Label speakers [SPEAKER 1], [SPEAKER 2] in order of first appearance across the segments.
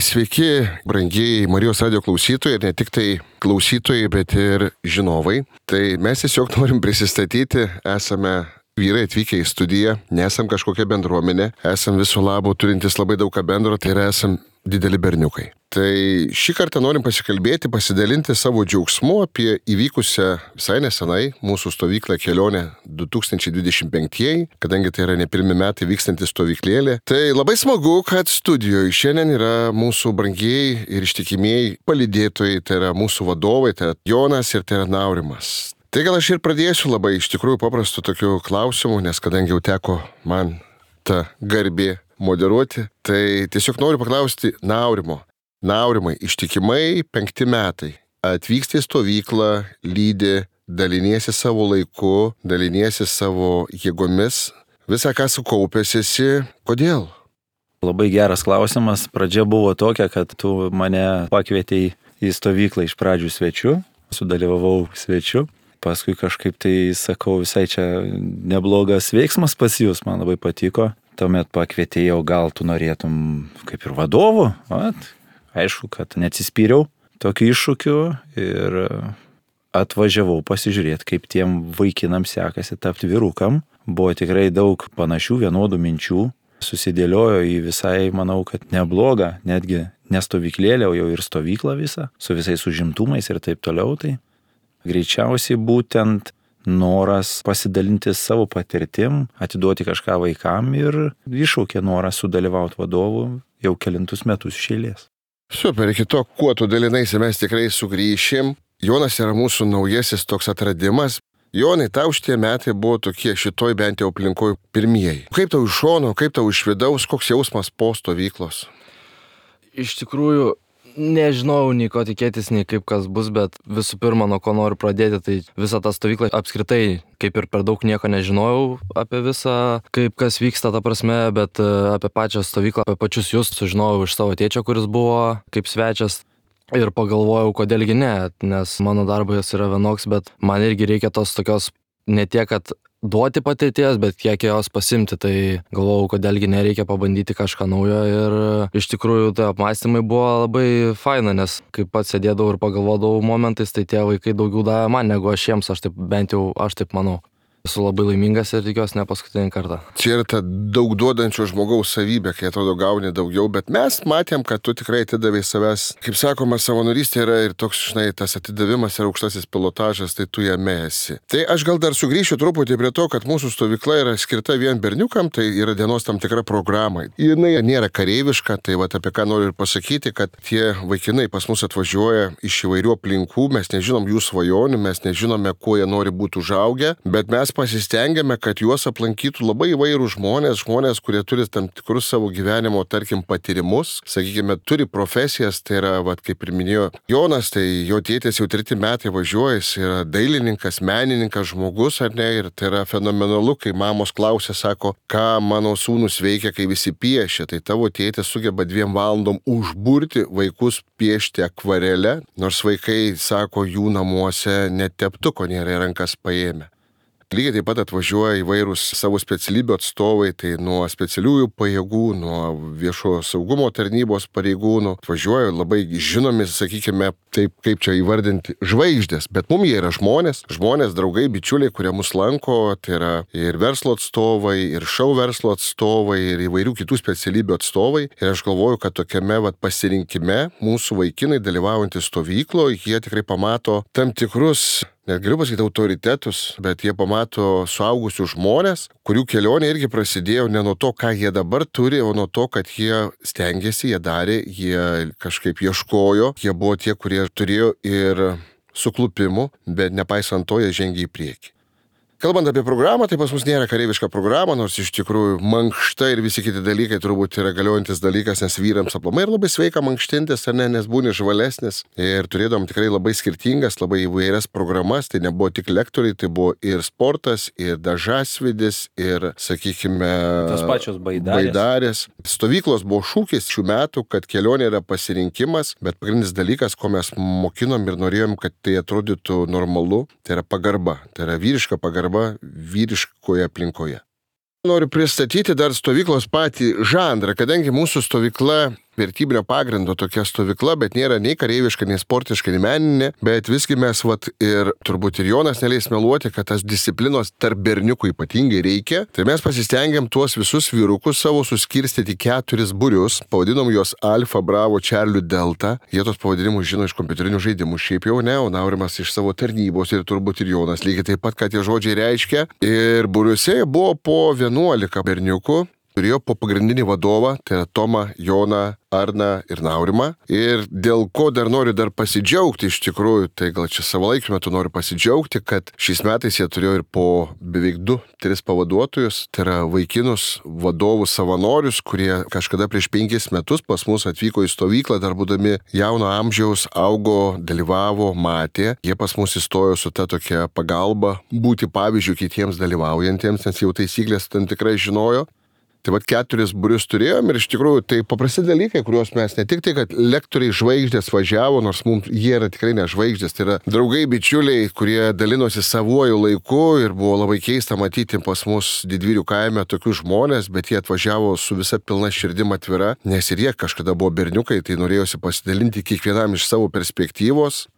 [SPEAKER 1] Sveiki, brangiai Marijos radio klausytojai, ir ne tik tai klausytojai, bet ir žinovai. Tai mes tiesiog norim prisistatyti, esame vyrai atvykę į studiją, nesam kažkokia bendruomenė, esam viso labo turintis labai daug ką bendro, tai yra esam dideli berniukai. Tai šį kartą norim pasikalbėti, pasidalinti savo džiaugsmu apie įvykusią visai nesenai mūsų stovyklą kelionę 2025, kadangi tai yra ne pirmi metai vykstanti stovyklėlė. Tai labai smagu, kad studijoje šiandien yra mūsų brangieji ir ištikimieji palydėtojai, tai yra mūsų vadovai, tai yra Jonas ir tai yra Naurimas. Tai gal aš ir pradėsiu labai iš tikrųjų paprastų tokių klausimų, nes kadangi jau teko man ta garbė moderuoti, tai tiesiog noriu paklausti Naurimo. Naurimai, ištikimai 5 metai. Atvyksti į stovyklą, lydi, daliniesi savo laiku, daliniesi savo jėgomis, visą ką sukaupęs esi. Kodėl?
[SPEAKER 2] Labai geras klausimas. Pradžia buvo tokia, kad tu mane pakvietei į stovyklą iš pradžių svečiu, sudalyvavau svečiu. Paskui kažkaip tai sakau, visai čia neblogas veiksmas pas jūs, man labai patiko. Tuomet pakvietėjau, gal tu norėtum kaip ir vadovu. Aišku, kad neatsispyriau tokiu iššūkiu ir atvažiavau pasižiūrėti, kaip tiem vaikinam sekasi tapti vyrukam. Buvo tikrai daug panašių vienodų minčių. Susidėliojo į visai, manau, kad neblogą, netgi nestovyklėlę, o jau ir stovyklą visą, su visais užimtumais ir taip toliau. Tai greičiausiai būtent noras pasidalinti savo patirtim, atiduoti kažką vaikam ir iššaukė norą sudalyvauti vadovų jau kelintus metus iš eilės.
[SPEAKER 1] Super, iki to, kuo tu dalinaisi, mes tikrai sugrįšim. Jonas yra mūsų naujasis toks atradimas. Jonai, tau šitie metai buvo tokie šitoj bent jau aplinkoj pirmieji. Kaip tau iš šono, kaip tau iš vidaus, koks jausmas po stovyklos?
[SPEAKER 3] Iš tikrųjų, nežinau nei ko tikėtis, nei kaip kas bus, bet visų pirma, nuo ko noriu pradėti, tai visą tą stovyklą apskritai, kaip ir per daug nieko nežinojau apie visą, kaip kas vyksta, ta prasme, bet apie pačią stovyklą, apie pačius jūs sužinojau iš savo tėčio, kuris buvo kaip svečias. Ir pagalvojau, kodėlgi ne, nes mano darbas yra vienoks, bet man irgi reikia tos tokios ne tiek, kad duoti patirties, bet kiek jos pasimti, tai galvojau, kodėlgi nereikia pabandyti kažką naujo ir iš tikrųjų tai apmąstymai buvo labai faina, nes kaip pats sėdėdavau ir pagalvodavau momentais, tai tie vaikai daugiau davė man negu aš jiems, bent jau aš taip manau. Esu labai laimingas ir tikiuosi ne paskutinį kartą.
[SPEAKER 1] Čia yra ta daug duodančio žmogaus savybė, kai atrodo gauni daugiau, bet mes matėm, kad tu tikrai atidavai savęs. Kaip sakoma, savanorystė yra ir toks, tas atidavimas yra aukštasis pilotažas, tai tu jame esi. Tai aš gal dar sugrįšiu truputį prie to, kad mūsų stovykla yra skirta vien berniukam, tai yra dienos tam tikra programa. Jinai nėra kareiviška, tai apie ką noriu ir pasakyti, kad tie vaikinai pas mus atvažiuoja iš įvairių aplinkų, mes nežinom jų svajonių, mes nežinome, kuo jie nori būti užaugę, bet mes pasistengiame, kad juos aplankytų labai įvairūs žmonės, kurie turi tam tikrus savo gyvenimo, tarkim, patyrimus, sakykime, turi profesijas, tai yra, kaip ir minėjo Jonas, tai jo tėtis jau 3 metai važiuoja, jis yra dailininkas, menininkas, žmogus, ar ne, ir tai yra fenomenalu, kai mamos klausia, sako, ką mano sūnus veikia, kai visi piešia, tai tavo tėtis sugeba 2 valandom užburti vaikus piešti akvarelę, nors vaikai, sako, jų namuose net teptuko nėra į rankas paėmę. Lygiai taip pat atvažiuoja įvairūs savo specialybių atstovai, tai nuo specialiųjų pajėgų, nuo viešo saugumo tarnybos pareigūnų, atvažiuoja labai žinomi, sakykime, taip kaip čia įvardinti, žvaigždės, bet mums jie yra žmonės, draugai, bičiuliai, kurie mus lanko, tai yra ir verslo atstovai, ir šou verslo atstovai, ir įvairių kitų specialybių atstovai. Ir aš galvoju, kad tokiame pasirinkime mūsų vaikinai dalyvaujantys stovykloje, jie tikrai pamato tam tikrus, net galiu pasakyti, autoritetus, bet jie pamato suaugusius žmonės, kurių kelionė irgi prasidėjo ne nuo to, ką jie dabar turi, o nuo to, kad jie stengiasi, jie darė, jie kažkaip ieškojo, jie buvo tie, kurie turėjo ir suklupimų, bet nepaisant to, jie žengė į priekį. Kalbant apie programą, tai pas mus nėra kareiviška programa, nors iš tikrųjų mankšta ir visi kiti dalykai turbūt yra galiojantis dalykas, nes vyrams aplamai ir labai sveika mankštintis, ar ne, nes būni žvalesnis. Ir turėdom tikrai labai skirtingas, labai įvairias programas, tai nebuvo tik lektoriai, tai buvo ir sportas, ir dažasvidis, ir, sakykime,
[SPEAKER 2] tos pačios
[SPEAKER 1] baidarės. Stovyklos buvo šūkis šių metų, kad kelionė yra pasirinkimas, bet pagrindinis dalykas, ko mes mokinom ir norėjom, kad tai atrodytų normalu, tai yra pagarba, tai yra vyriška pagarba vyriškoje aplinkoje. Noriu pristatyti dar stovyklos patį žanrą, kadangi mūsų stovykla vertybinio pagrindo tokia stovykla, bet nėra nei kareiviška, nei sportiška, nei meninė, bet visgi mes ir turbūt ir Jonas neleis meluoti, kad tas disciplinos tarp berniukų ypatingai reikia. Tai mes pasistengiam tuos visus vyrukus savo suskirstyti 4 būrius, pavadinom juos Alfa, Bravo, Charlie, Delta. Jie tos pavadinimus žino iš kompiuterinių žaidimų, šiaip jau ne, o Naurimas iš savo tarnybos ir turbūt ir Jonas lygiai taip pat, ką tie žodžiai reiškia. Ir būriuose buvo po 11 berniukų. Turėjo po pagrindinį vadovą, tai yra Tomą, Joną, Arną ir Naurimą. Ir dėl ko noriu pasidžiaugti iš tikrųjų, tai gal čia savo laikiu metu noriu pasidžiaugti, kad šiais metais jie turėjo ir po beveik 2-3 pavaduotojus, tai yra vaikinus vadovus savanorius, kurie kažkada prieš 5 metus pas mus atvyko į stovyklą, dar būdami jauno amžiaus, augo, dalyvavo, matė. Jie pas mus įstojo su ta tokia pagalba būti pavyzdžių kitiems dalyvaujantiems, nes jau taisyklės tam tikrai žinojo. Tai 4 būrius turėjom ir iš tikrųjų tai paprasti dalykai, kuriuos mes ne tik tai, kad lektoriai žvaigždės važiavo, nors mums jie yra tikrai ne žvaigždės, tai yra draugai, bičiuliai, kurie dalinosi savuoju laiku ir buvo labai keista matyti pas mus Didvyrių kaime tokius žmonės, bet jie atvažiavo su visa pilna širdim atvira, nes ir jie kažkada buvo berniukai, tai norėjosi pasidalinti kiekvienam iš savo perspektyvos.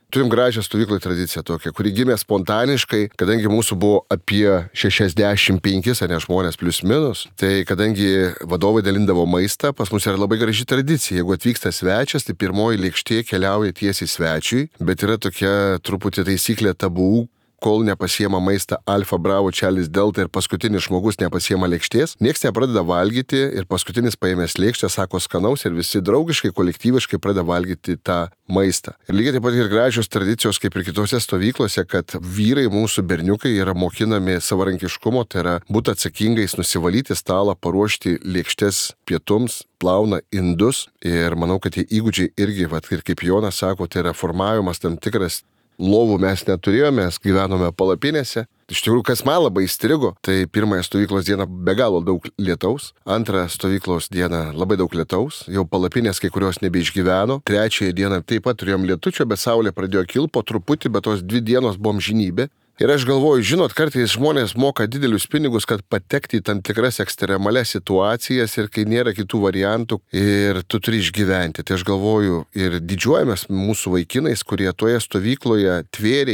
[SPEAKER 1] Turim gražią stovyklą tradiciją tokią, kuri gimė spontaniškai, kadangi mūsų buvo apie 65 žmonės plius minus, tai kadangi vadovai dalindavo maistą, pas mus yra labai graži tradicija. Jeigu atvyksta svečias, tai pirmoji lėkštė keliauja tiesiai svečiui, bet yra tokia truputį taisyklė tabų. Kol nepasiema maistą Alfa, Bravo, Charlie, Delta ir paskutinis žmogus nepasiema lėkštės, nieks nepradeda valgyti ir paskutinis paėmęs lėkštę sako skanaus ir visi draugiškai, kolektyviškai pradeda valgyti tą maistą. Ir lygiai taip pat ir gražios tradicijos, kaip ir kitose stovyklose, kad vyrai, mūsų berniukai, yra mokinami savarankiškumo, tai yra būti atsakingais, nusivalyti stalą, paruošti lėkštes pietums, plauna indus ir manau, kad tie įgūdžiai irgi, ir kaip Jonas sako, tai yra formavimas tam tikras. Lovų mes neturėjome, mes gyvenome palapinėse. Iš tikrųjų, kas man labai įstrigo, tai pirmąją stovyklos dieną be galo daug lietaus, antrą stovyklos dieną labai daug lietaus, jau palapinės kai kurios nebeišgyveno, trečiąją dieną taip pat turėjom lietučio, bet saulė pradėjo kilti po truputį, bet tos 2 dienos buvom žinybė. Ir aš galvoju, žinot, kartais žmonės moka didelius pinigus, kad patekti į tam tikras ekstremalias situacijas ir kai nėra kitų variantų ir tu turi išgyventi. Tai aš galvoju ir didžiuojamės mūsų vaikinais, kurie toje stovykloje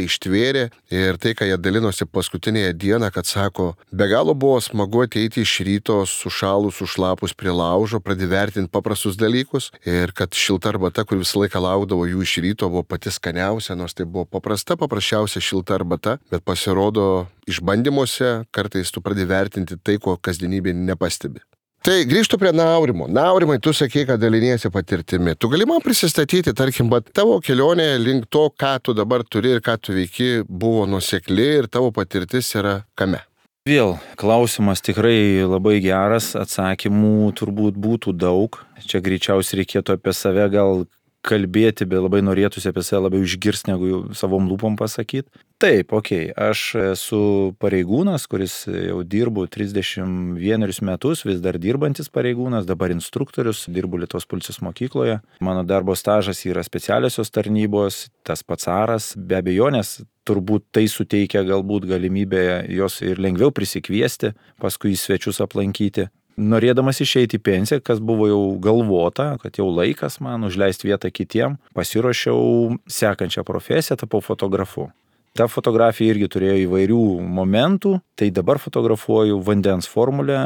[SPEAKER 1] ištvėrė ir tai, ką jie dalinosi paskutinėje dieną, kad sako, be galo buvo smagu ateiti iš ryto sušalus, sušlapus prie laužo, pradėvertinti paprastus dalykus ir kad šilta arbata, kur visą laiką laukdavo jų iš ryto, buvo pati skaniausia, nors tai buvo paprasčiausia šilta arbata. Bet pasirodo, išbandymuose kartais tu pradedi vertinti tai, ko kasdienybėje nepastebi. Tai grįžtu prie Naurimo. Naurimai, tu sakei, kad daliniesi patirtimi. Tu gali man prisistatyti, tarkim, bet tavo kelionė link to, ką tu dabar turi ir ką tu veiki, buvo nuosekli ir tavo patirtis yra kame?
[SPEAKER 2] Vėl klausimas tikrai labai geras, atsakymų turbūt būtų daug. Čia greičiausiai reikėtų apie save gal kalbėti, bet labai norėtųsi apie save labiau išgirsti, negu savom lūpom pasakyti. Taip, aš esu pareigūnas, kuris jau dirbu 31 metus, vis dar dirbantis pareigūnas, dabar instruktorius, dirbu Lietuvos policijos mokykloje. Mano darbo stažas yra specialiosios tarnybos, tas pats aras, be abejonės, turbūt tai suteikia galbūt galimybę jos ir lengviau prisikviesti, paskui į svečius aplankyti. Norėdamas išeiti į pensiją, kas buvo jau galvota, kad jau laikas man užleisti vietą kitiem, pasiruošiau sekančią profesiją, tapau fotografu. Ta fotografija irgi turėjo įvairių momentų, tai dabar fotografuoju vandens formulę,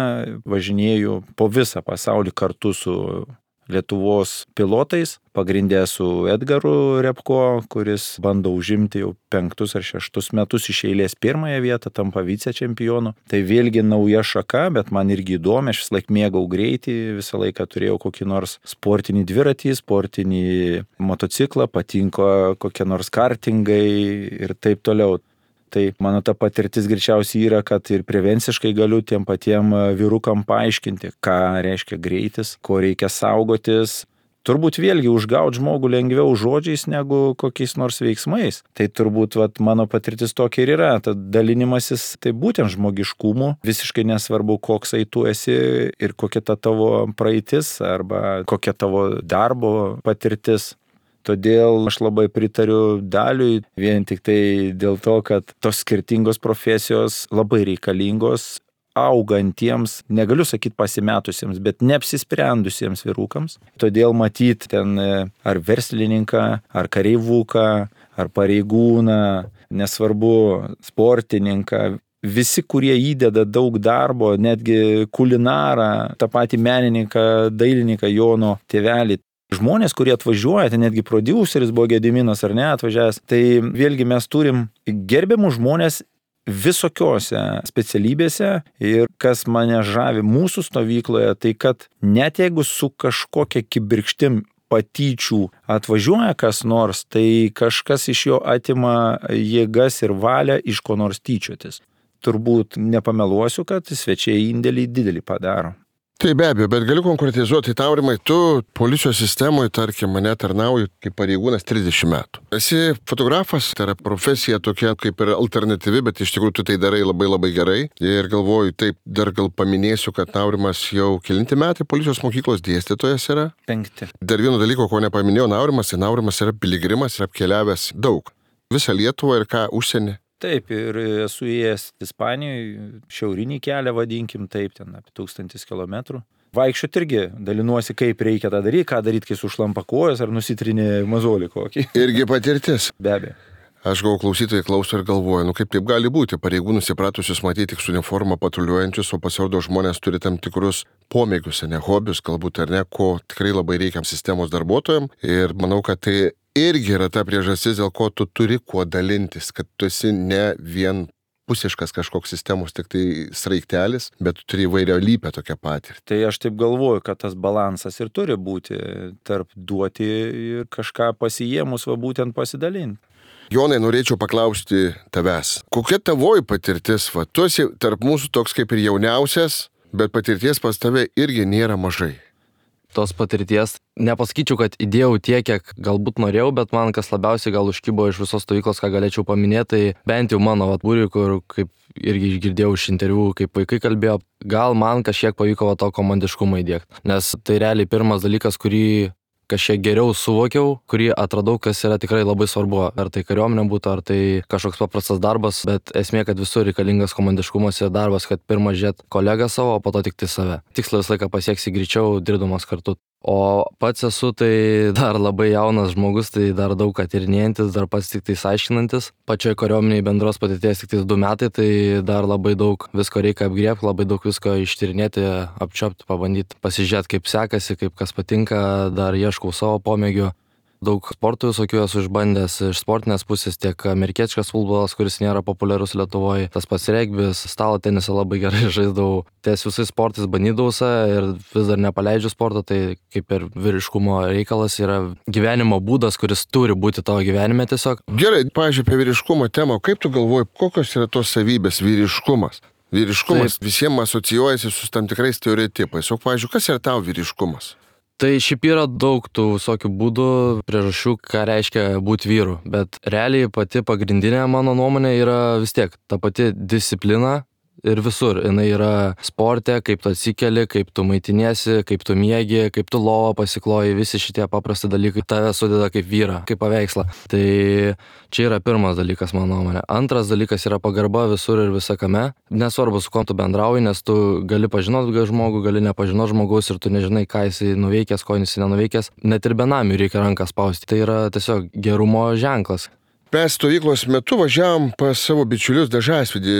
[SPEAKER 2] važinėju po visą pasaulį kartu su Lietuvos pilotais, pagrindė su Edgaru Repko, kuris bando užimti jau 5 ar 6 metus iš eilės pirmąją vietą, tampa vicečempionu. Tai vėlgi nauja šaka, bet man irgi įdomi, aš visą laiką mėgau greitį, visą laiką turėjau kokį nors sportinį dviratį, sportinį motociklą, patinko kokie nors kartingai ir taip toliau. Tai mano ta patirtis greičiausiai yra, kad ir prevenciškai galiu tiem patiem vyrukam paaiškinti, ką reiškia greitis, ko reikia saugotis. Turbūt vėlgi užgauti žmogų lengviau žodžiais negu kokiais nors veiksmais. Tai turbūt mano patirtis tokia ir yra. Tad dalinimasis tai būtent žmogiškumu, visiškai nesvarbu, koksai tu esi ir kokia ta tavo praeitis arba kokia tavo darbo patirtis. Todėl aš labai pritariu Daliui, vien tik tai dėl to, kad tos skirtingos profesijos labai reikalingos. augantiems, negaliu sakyti pasimetusiems, bet neapsisprendusiems vyrukams. Todėl matyti ten ar verslininką, ar kareivuką, ar pareigūną, nesvarbu sportininką, visi, kurie įdeda daug darbo, netgi kulinarą, tą patį menininką, dailininką Jono tėvelį. Žmonės, kurie atvažiuoja, tai netgi prodiuseris buvo Gediminas ar ne atvažiavęs, tai vėlgi mes turim gerbiamų žmonės visokiose specialybėse ir kas mane žavi mūsų stovykloje, tai kad net jeigu su kažkokia kibirkštim patyčių atvažiuoja kas nors, tai kažkas iš jo atima jėgas ir valią iš ko nors tyčiotis. Turbūt nepameluosiu, kad svečiai indėlį didelį padaro.
[SPEAKER 1] Tai be abejo, bet galiu konkretizuoti, Aurimai, tu policijos sistemoje, tarkim, mane tarnauji kaip pareigūnas 30 metų. Esi fotografas, tai yra profesija tokia kaip ir alternatyvi, bet iš tikrųjų tu tai darai labai labai gerai. Ir galvoju, taip, dar gal paminėsiu, kad Aurimas jau kelinti metai policijos mokyklos dėstytojas yra.
[SPEAKER 2] 5.
[SPEAKER 1] Dar vieno dalyko, ko nepaminėjau, Aurimas yra piligrimas ir apkeliavęs daug. Visą Lietuvą ir ką užsienį.
[SPEAKER 2] Taip, ir esu įėjęs Ispanijoje, šiaurinį kelią vadinkim, taip, ten apie 1000 kilometrų. Vaikščiot irgi dalinuosi, kaip reikia tą daryti, ką daryti, kai sušlampa kojas ar nusitrinė mazolį kokį.
[SPEAKER 1] Irgi patirtis.
[SPEAKER 2] Be abejo.
[SPEAKER 1] Aš gavau klausytojai klauso ir galvoju, kaip taip gali būti, pareigūnus įpratusius matyti tik su uniforma patruliuojančius, o pasirodo žmonės turi tam tikrus pomėgius, ne hobius, galbūt ar ne, ko tikrai labai reikia sistemos darbuotojams. Ir manau, kad tai irgi yra ta priežastis, dėl ko tu turi kuo dalintis, kad tu esi ne vien pusiškas kažkoks sistemos tik tai sraigtelis, bet tu turi įvairialypę tokią patirtį.
[SPEAKER 2] Tai aš taip galvoju, kad tas balansas ir turi būti tarp duoti ir kažką pasijėmus, va būtent pasidalinti.
[SPEAKER 1] Jonai, norėčiau paklausti tavęs. Kokia tavoji patirtis? Va, tu esi tarp mūsų toks kaip ir jauniausias, bet patirties pas tave irgi nėra mažai.
[SPEAKER 3] Tos patirties nepasakyčiau, kad įdėjau tiek, kiek galbūt norėjau, bet man kas labiausiai gal užkybo iš visos stovyklos, ką galėčiau paminėti, tai bent jau mano būriui, kur kaip irgi girdėjau iš interviu, kaip vaikai kalbėjo, gal man kažkiek pavyko to komandiškumą įdiegti. Nes tai realiai pirmas dalykas, kurį kažkiek geriau suvokiau, kurį atradau, kas yra tikrai labai svarbu. Ar tai kariuomenė būtų, ar tai kažkoks paprastas darbas, bet esmė, kad visur reikalingas komandiškumas ir darbas, kad pirmą žiūrėt kolegą savo, o po to tik tai save. Tikslą visą laiką pasieksi greičiau, dirbdamas kartu. O pats esu tai dar labai jaunas žmogus, tai dar daug ką tyrinėjantis, dar pats tik tais aiškinantis. Pačioje kariuomenėje bendros patirties tik tais 2 metai, tai dar labai daug visko reikia apgriebti, labai daug visko ištyrinėti, apčiopti, pabandyti, pasižiūrėti, kaip sekasi, kaip kas patinka, dar ieškau savo pomėgių. Daug sportų visokių esu išbandęs iš sportinės pusės, tiek amerikietiškas futbolas, kuris nėra populiarus Lietuvoje, tas pats regbis, stalo tenisą labai gerai žaisdavau. Ties visais sportais bandydavausi ir vis dar nepaleidžiu sporto, tai kaip ir vyriškumo reikalas yra gyvenimo būdas, kuris turi būti tavo gyvenime tiesiog.
[SPEAKER 1] Gerai, pavyzdžiui, apie vyriškumo temą, kaip tu galvoji, kokios yra tos savybės vyriškumas? Vyriškumas visiems asocijuojasi su tam tikrais stereotipais. O, pavyzdžiui, kas yra tau vyriškumas?
[SPEAKER 3] Tai šiaip yra daug tų visokių būdų, priežasčių, ką reiškia būti vyru, bet realiai pati pagrindinė mano nuomonė yra vis tiek ta pati disciplina ir visur. Jinai yra sporte, kaip tu atsikeli, kaip tu maitiniesi, kaip tu miegi, kaip tu lovą pasikloji, visi šitie paprasti dalykai tave sudeda kaip vyrą, kaip paveikslą. Tai čia yra pirmas dalykas mano nuomonė. Antras dalykas yra pagarba visur ir visakame. Nesvarbu, su kuo tu bendrauji, nes tu gali pažinoti žmogų, gali nepažinoti žmogaus ir tu nežinai, ką jisai nuveikęs, ko jisai nenuveikęs. Net ir benamiui reikia ranką spausti. Tai yra tiesiog gerumo ženklas.
[SPEAKER 1] Mes stovyklos metu važiavom pas savo bičiulius Dažasvydį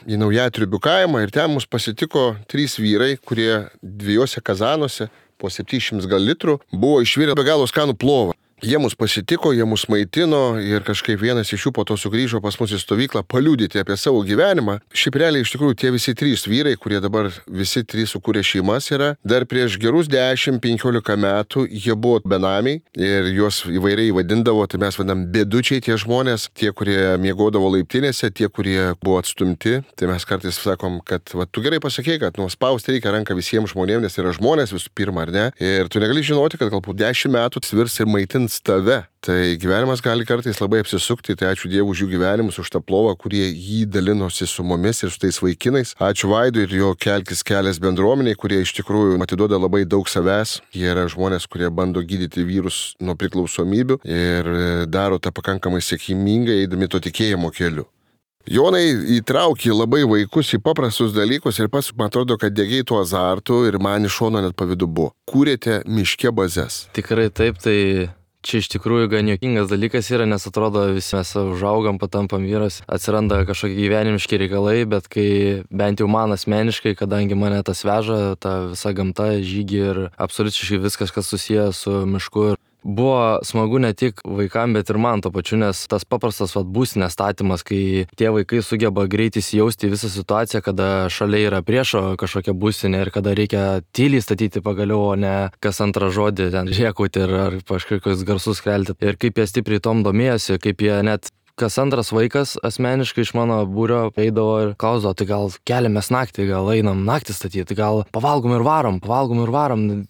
[SPEAKER 1] į Naujatriubių kaimą ir ten mus pasitiko 3 vyrai, kurie 2 kazanuose po 700 gal litrų buvo išvirę be galo skanų plovą. Jie mus pasitiko, jie mus maitino ir kažkaip vienas iš jų po to sugrįžo pas mus į stovyklą paliudyti apie savo gyvenimą. Šiaip realiai iš tikrųjų tie visi 3 vyrai, kurie dabar visi 3 sukūrė šeimas yra, dar prieš gerus 10-15 metų jie buvo benamiai ir juos įvairiai vadindavo, tai mes vadinam bėdučiai tie žmonės, tie, kurie miegodavo laiptinėse, tie, kurie buvo atstumti. Tai mes kartais sakom, kad va, tu gerai pasakei, kad spausti reikia ranką visiems žmonėms, nes yra žmonės visų pirma, ar ne? Ir tu negali žinoti, kad galbūt 10 metų svirs ir maitins tave. Tai gyvenimas gali kartais labai apsisukti, tai ačiū Dievui už jų gyvenimus, už tą plovą, kurie jį dalinosi su mumis ir su tais vaikinais. Ačiū Vaidui ir jo Kelkis kelias bendruomeniai, kurie iš tikrųjų atiduoda labai daug savęs. Jie yra žmonės, kurie bando gydyti vyrus nuo priklausomybių ir daro tą pakankamai sėkmingai, eidami to tikėjimo keliu. Jonai, įtraukė labai vaikus į paprastus dalykus ir pats, man atrodo, kad dėgiai tuo azartu ir man iš šono net pavydu buvo. Kūrėte miške bazes.
[SPEAKER 3] Tikrai taip, tai čia iš tikrųjų gan juokingas dalykas yra, nes atrodo visi mes užaugam, patampam vyras, atsiranda kažkokie gyvenimiški reikalai, bet kai bent jau man asmeniškai, kadangi mane tas veža, ta visa gamta, žygi ir absoliučiai viskas, kas susijęs su mišku. Buvo smagu ne tik vaikam, bet ir man to pačiu, nes tas paprastas būstinės statymas, kai tie vaikai sugeba greitai įsijausti į visą situaciją, kada šalia yra priešo kažkokia būstinė ir kada reikia tyliai statyti pagaliau, o ne kas antrą žodį ten rėkauti ar kažkokius garsus kelti. Ir kaip jie stipriai tom domėjosi, kaip jie net kas antras vaikas asmeniškai iš mano būrio eidavo ir klausdavo, tai gal keliamės naktį, gal einam naktį statyti, gal pavalgom ir varom.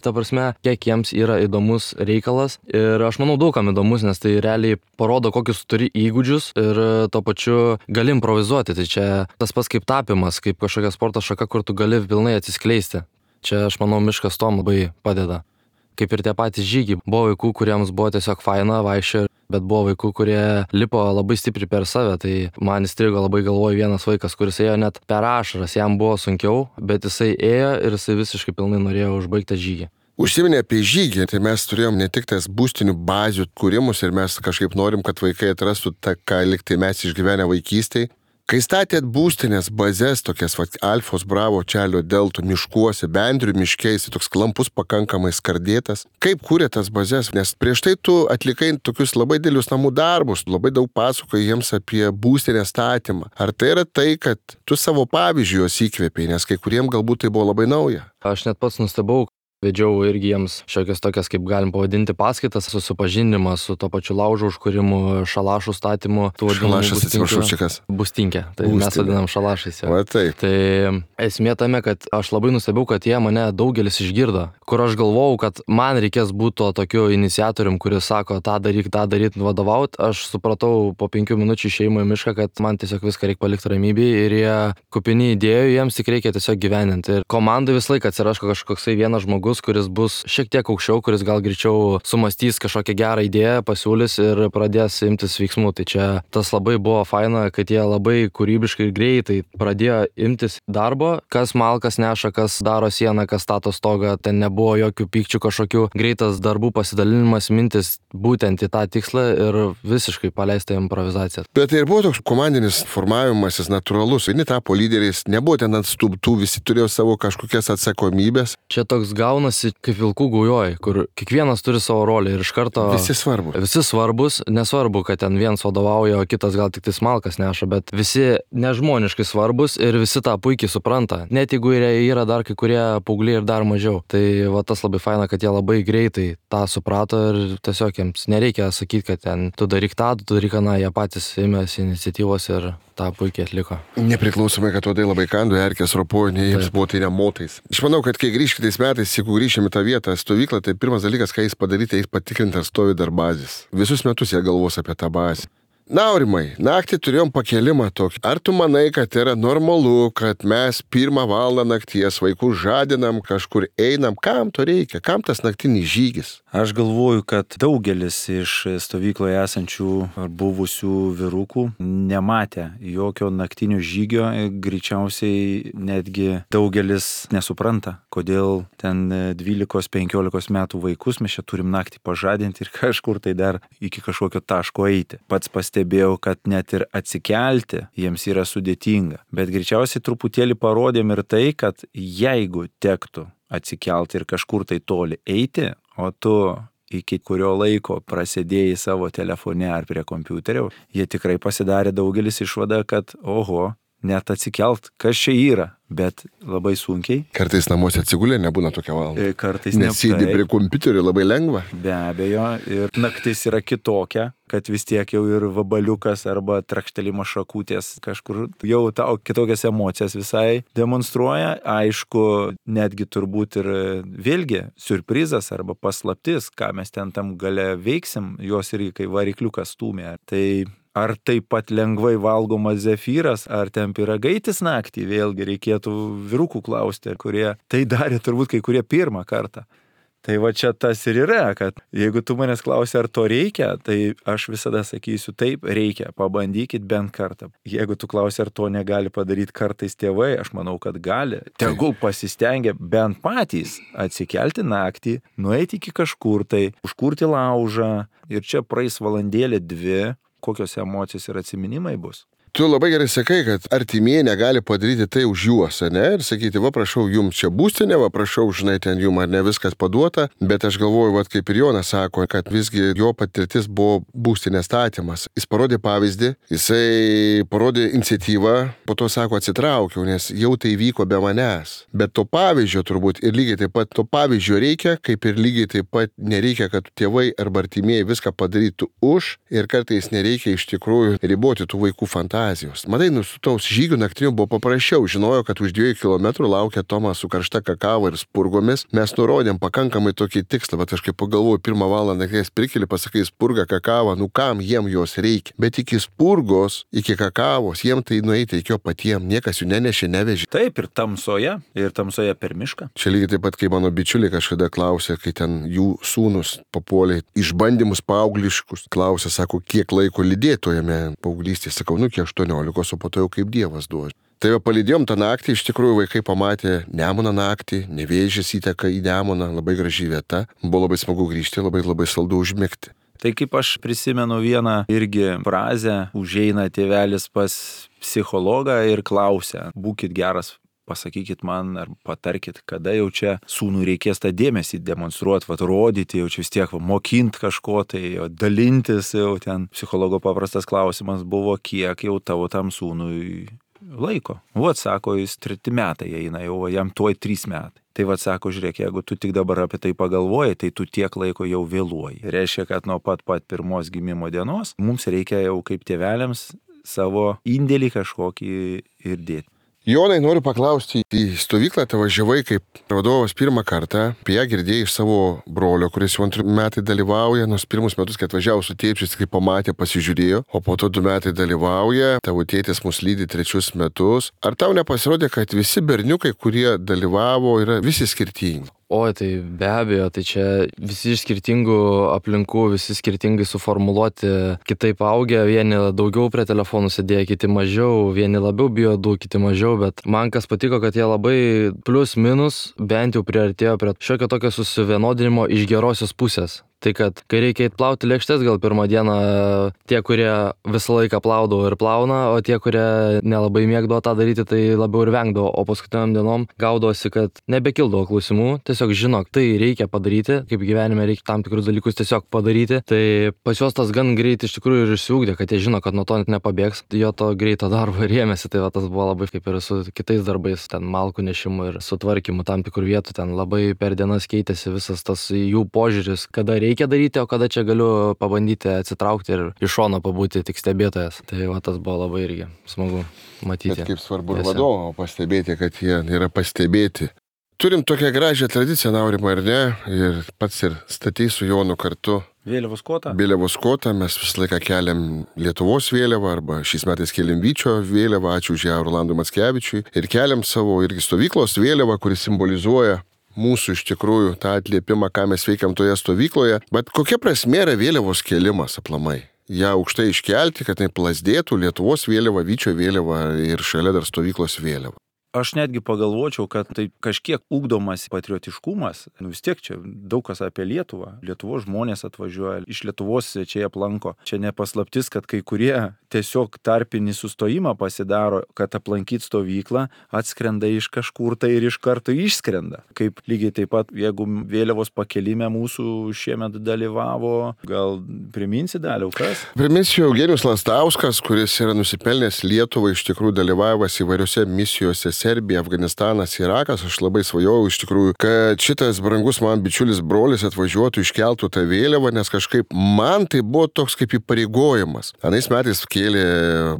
[SPEAKER 3] Ta prasme, kiek jiems yra įdomus reikalas. Ir aš manau daugam įdomus, nes tai realiai parodo, kokius turi įgūdžius ir tuo pačiu gali improvizuoti. Tai čia tas pats kaip tapimas, kaip kažkokia sporto šaka, kur tu gali pilnai atsiskleisti. Čia aš manau miškas tom labai padeda. Kaip ir tie patys žygiai. Buvo vaikų, kuriems buvo tiesiog faina vaikščio, bet buvo vaikų, kurie lipo labai stipriai per save. Tai man įstrigo labai galvoj vienas vaikas, kuris ėjo net per ašaras, jam buvo sunkiau, bet jisai ėjo ir jisai visiškai pilnai norėjo užbaigti žygį.
[SPEAKER 1] Užsiminė apie žygį, tai mes turėjom ne tik tas būstinių bazių kūrimus ir mes kažkaip norim, kad vaikai atrastų tą, ką liktai mes išgyvenę vaikystėj. Kai statėt būstinės bazės, tokias Alfos, Bravo, Čelio, Deltų miškuose, Bendrių miškiais, toks klampus pakankamai skardėtas, kaip kūrė tas bazės? Nes prieš tai tu atlikai tokius labai dėlius namų darbus, labai daug pasakoji jiems apie būstinės statymą. Ar tai yra tai, kad tu savo pavyzdžių juos įkvėpėjai, nes kai kuriem galbūt tai buvo labai nauja?
[SPEAKER 3] Aš net pats nustebau. Vedžiau irgi jiems šiokias tokias, kaip galim pavadinti, paskaitas, susipažinimą su to pačiu laužo užkūrimu, šalašų statymu.
[SPEAKER 1] Šalašas, atsiprašau, čia kas?
[SPEAKER 3] Būstinkė. Tai mes vadinam šalašais.
[SPEAKER 1] Va taip.
[SPEAKER 3] Tai esmė tame, kad aš labai nustebau, kad jie mane daugelis išgirdo. Kur aš galvojau, kad man reikės būti to tokiu iniciatorium, kuris sako, tą daryt, vadovaut. Aš supratau po 5 minučių išėjimo į mišką, kad man tiesiog viską reikia palikti ramybėje ir jie kupini idėjų, jiems tik reikia tiesiog gyveninti. Ir komandai visą laiką atsiraško kažkoksai vienas žmogus, kuris bus šiek tiek aukščiau, kuris gal greičiau sumastys kažkokią gerą idėją, pasiūlys ir pradės imtis veiksmų. Tai čia tas labai buvo faina, kad jie labai kūrybiškai ir greitai pradėjo imtis darbo, kas malkas neša, kas daro sieną, kas stato stogą, ten nebuvo jokių pykčių kažkokių, greitas darbų pasidalinimas, mintis būtent į tą tikslą ir visiškai paleista improvizacija.
[SPEAKER 1] Bet tai ir buvo toks komandinis formavimasis natūralus, vieni tapo lyderiais, nebuvo ten atstubtų, visi turėjo savo kažkokias atsakomybės.
[SPEAKER 3] Čia toks gaunasi kaip vilkų gaujoj, kur kiekvienas turi savo rolę ir iš karto...
[SPEAKER 1] Visi svarbus.
[SPEAKER 3] Visi svarbus, nesvarbu, kad ten vienas vadovauja, o kitas gal tik tai smalkas neša, bet visi nežmoniškai svarbus ir visi tą puikiai supranta. Net jeigu yra dar kai kurie paaugliai ir dar mažiau. Tai va tas labai faina, kad jie labai greitai tą suprato ir tiesiog jiems nereikia sakyti, kad ten tu daryk tą, tu daryk aną, jie patys ėmėsi iniciatyvos ir tą puikiai atliko.
[SPEAKER 1] Nepriklausomai, kad uodai labai kando, erkės ropojo, nei jiems buvo tai nemotais. Aš manau, kad kai grįžkitais metais, jeigu grįšim į tą vietą, stovyklą, tai pirmas dalykas, ką jis padaryti, jis patikrinti, ar stovi dar bazės. Visus metus jie galvos apie tą bazę. Na, Aurimai, naktį turėjom pakelimą tokį. Ar tu manai, kad yra normalu, kad mes 1 valandą nakties vaikus žadinam, kažkur einam? Kam to reikia? Kam tas naktinis žygis?
[SPEAKER 2] Aš galvoju, kad daugelis iš stovykloje esančių ar buvusių vyrukų nematė jokio naktinio žygio, greičiausiai netgi daugelis nesupranta, kodėl ten 12-15 metų vaikus mes čia turim naktį pažadinti ir kažkur tai dar iki kažkokio taško eiti. Pats pastebėjau, kad net ir atsikelti jiems yra sudėtinga, bet greičiausiai truputėlį parodėm ir tai, kad jeigu tektų atsikelti ir kažkur tai toli eiti, o tu iki kurio laiko prasidėjai savo telefone ar prie kompiuterio, jie tikrai pasidarė daugelis išvadą, kad oho, net atsikelt, kas čia yra, bet labai sunkiai.
[SPEAKER 1] Kartais namuose atsigulė, nebūna tokia valanda.
[SPEAKER 2] Kartais
[SPEAKER 1] nes sėdi prie kompiuterio, labai lengva.
[SPEAKER 2] Be abejo, ir naktis yra kitokia, kad vis tiek jau ir vabaliukas arba trakštelimo šakutės kažkur jau tau kitokias emocijas visai demonstruoja. Aišku, netgi turbūt ir vėlgi surprizas arba paslaptis, ką mes ten tam gale veiksim, jos irgi kai varikliukas stūmė. Tai ar taip pat lengvai valgomas zefyras, ar ten pyragaitis naktį, vėlgi reikėtų vyrukų klausti, kurie tai darė turbūt kai kurie pirmą kartą. Tai va čia tas ir yra, kad jeigu tu manęs klausi, ar to reikia, tai aš visada sakysiu, taip, reikia, pabandykit bent kartą. Jeigu tu klausi, ar to negali padaryti kartais tėvai, aš manau, kad gali. Tegul pasistengia bent patys atsikelti naktį, nueiti iki kažkur tai, užkurti laužą ir čia praeis valandėlė 2, kokios emocijos ir atsiminimai bus.
[SPEAKER 1] Tu labai gerai sakai, kad artimieji negali padaryti tai už juos, ne? Ir sakyti, va prašau, jums čia būstinė, va prašau, žinai, ten jums ar ne viskas paduota, bet aš galvoju, va kaip ir Jonas sako, kad visgi jo patirtis buvo būstinės statymas. Jis parodė pavyzdį, jisai parodė iniciatyvą, po to sako atsitraukiau, nes jau tai vyko be manęs. Bet to pavyzdžio turbūt ir lygiai taip pat to pavyzdžio reikia, kaip ir lygiai taip pat nereikia, kad tėvai arba artimieji viską padarytų už ir kartais nereikia iš tikrųjų riboti tų vaikų fantazijų. Matai, su tos žygių naktinių buvo paprasčiau. Žinojo, kad už 2 kilometrų laukia Tomas su karšta kakava ir spurgomis. Mes nurodėm pakankamai tokį tikslą, bet aš kaip pagalvoju, 1 valandą nakties prikeli, pasakai spurgą, kakavą, nu kam jiem jos reikia. Bet iki spurgos, iki kakavos, jiem tai nueiti reikėjo patiem, niekas jų nenešė, nevežė.
[SPEAKER 2] Taip, ir tamsoje per mišką.
[SPEAKER 1] Čia lygiai taip pat, kai mano bičiuliai kažkada klausė, kai ten jų sūnus papuolė išbandymus paaugliškus. Klausė, sako, kiek laiko lydėtojame paauglystėje. Sakau, nu kiek 18, o po to jau kaip Dievas duos. Tai jau palydėjom tą naktį, iš tikrųjų vaikai pamatė Nemuną naktį, Nevėžis įteka į Nemuną, labai graži vieta. Buvo labai smagu grįžti, labai saldu užmigti.
[SPEAKER 2] Tai kaip aš prisimenu vieną irgi frazę, užeina tėvelis pas psichologą ir klausia, būkit geras, pasakykit man ar patarkit, kada jau čia sūnui reikės tą dėmesį demonstruoti, rodyti, jau čia vis tiek mokint kažko, tai dalintis jau ten. Psichologo paprastas klausimas buvo, kiek jau tavo tam sūnui laiko. Vat sako, jis 3 metai eina, jau jam tuoj 3 metai. Tai vat sako, žiūrėk, jeigu tu tik dabar apie tai pagalvoji, tai tu tiek laiko jau vėluoji. Reiškia, kad nuo pat pirmos gimimo dienos mums reikia jau kaip tėveliams savo indėlį kažkokį ir dėti.
[SPEAKER 1] Jonai, noriu paklausti, į stovyklą te važiavai kaip vadovas 1 kartą, apie ją girdėjai iš savo brolio, kuris jau 2 metai dalyvauja, nors 1 metus, kai atvažiavo su tėčiais, kai pamatė, pasižiūrėjo, o po to 2 metai dalyvauja, tavo tėtis mus lydi 3 metus. Ar tau nepasirodė, kad visi berniukai, kurie dalyvavo, yra visi skirtingi?
[SPEAKER 3] Oi, tai be abejo, tai čia visi iš skirtingų aplinkų, visi skirtingai suformuluoti, kitaip augę, vieni daugiau prie telefonų sėdėjo, kiti mažiau, vieni labiau bijo, kiti mažiau, bet man kas patiko, kad jie labai plius minus bent jau priartėjo prie šiokio tokio susivienodinimo iš gerosios pusės. Tai kad kai reikia plauti lėkštes, gal 1 dieną tie, kurie visą laiką plaudavo ir plauna, o tie, kurie nelabai mėgdavo tą daryti, tai labiau ir vengdavo, o paskutiniam dienom gaudosi, kad nebekildavo klausimų, tiesiog žinok, tai reikia padaryti, kaip gyvenime reikia tam tikrus dalykus tiesiog padaryti, tai pas juos tas gan greit iš tikrųjų ir išsiugdė, kad jie žino, kad nuo to net nepabėgs, jo to greito darbo ir ėmėsi, tai va, tas buvo labai kaip ir su kitais darbais, ten malkų nešimu ir sutvarkymu tam tikrų vietų, ten labai per dienas keitėsi visas tas jų požiūris, kada reikia daryti, o kada čia galiu pabandyti atsitraukti ir iš šono pabūti tik stebėtojas. Tai va, tas buvo labai irgi smagu matyti.
[SPEAKER 1] Bet kaip svarbu ir vadovo pastebėti, kad jie yra pastebėti. Turim tokią gražią tradiciją, Aurimai, ar ne? Ir pats ir statei su Jonu kartu.
[SPEAKER 2] Vėliavos kotą?
[SPEAKER 1] Vėliavos kotą, mes visą laiką keliam Lietuvos vėliavą, arba šiais metais keliam Vyčio vėliavą, ačiū už ją Rolandui Mackevičiui. Ir keliam savo irgi stovyklos vėliavą, kuris simbolizuoja mūsų iš tikrųjų tą atliepimą, ką mes veikiam toje stovykloje. Bet kokia prasmė yra vėliavos kėlimas aplamai? Ja aukštai iškelti, kad tai plasdėtų Lietuvos vėliava, Vyčio vėliava ir šalia dar stovyklos vėliava.
[SPEAKER 2] Aš netgi pagalvočiau, kad tai kažkiek ugdomas patriotiškumas. Vis tiek čia daug kas apie Lietuvą. Lietuvos žmonės atvažiuoja, iš Lietuvos svečiai aplanko. Čia nepaslaptis, kad kai kurie tiesiog tarpinį sustojimą pasidaro, kad aplankyt stovyklą, atskrenda iš kažkur tai ir iš karto išskrenda. Kaip lygiai taip pat, jeigu vėliavos pakelime mūsų šiemet dalyvavo, gal priminsi Daliau, kas?
[SPEAKER 1] Priminsiu Eugenijus Lastauskas, kuris yra nusipelnęs Lietuvai, iš tikrųjų dalyvavęs įvairiose misijose Serbija, Afganistanas, Irakas. Aš labai svajojau iš tikrųjų, kad šitas brangus man bičiulis brolis atvažiuotų, iškeltų tą vėliavą, nes kažkaip man tai buvo toks kaip įpareigojimas. Anais metais kėlė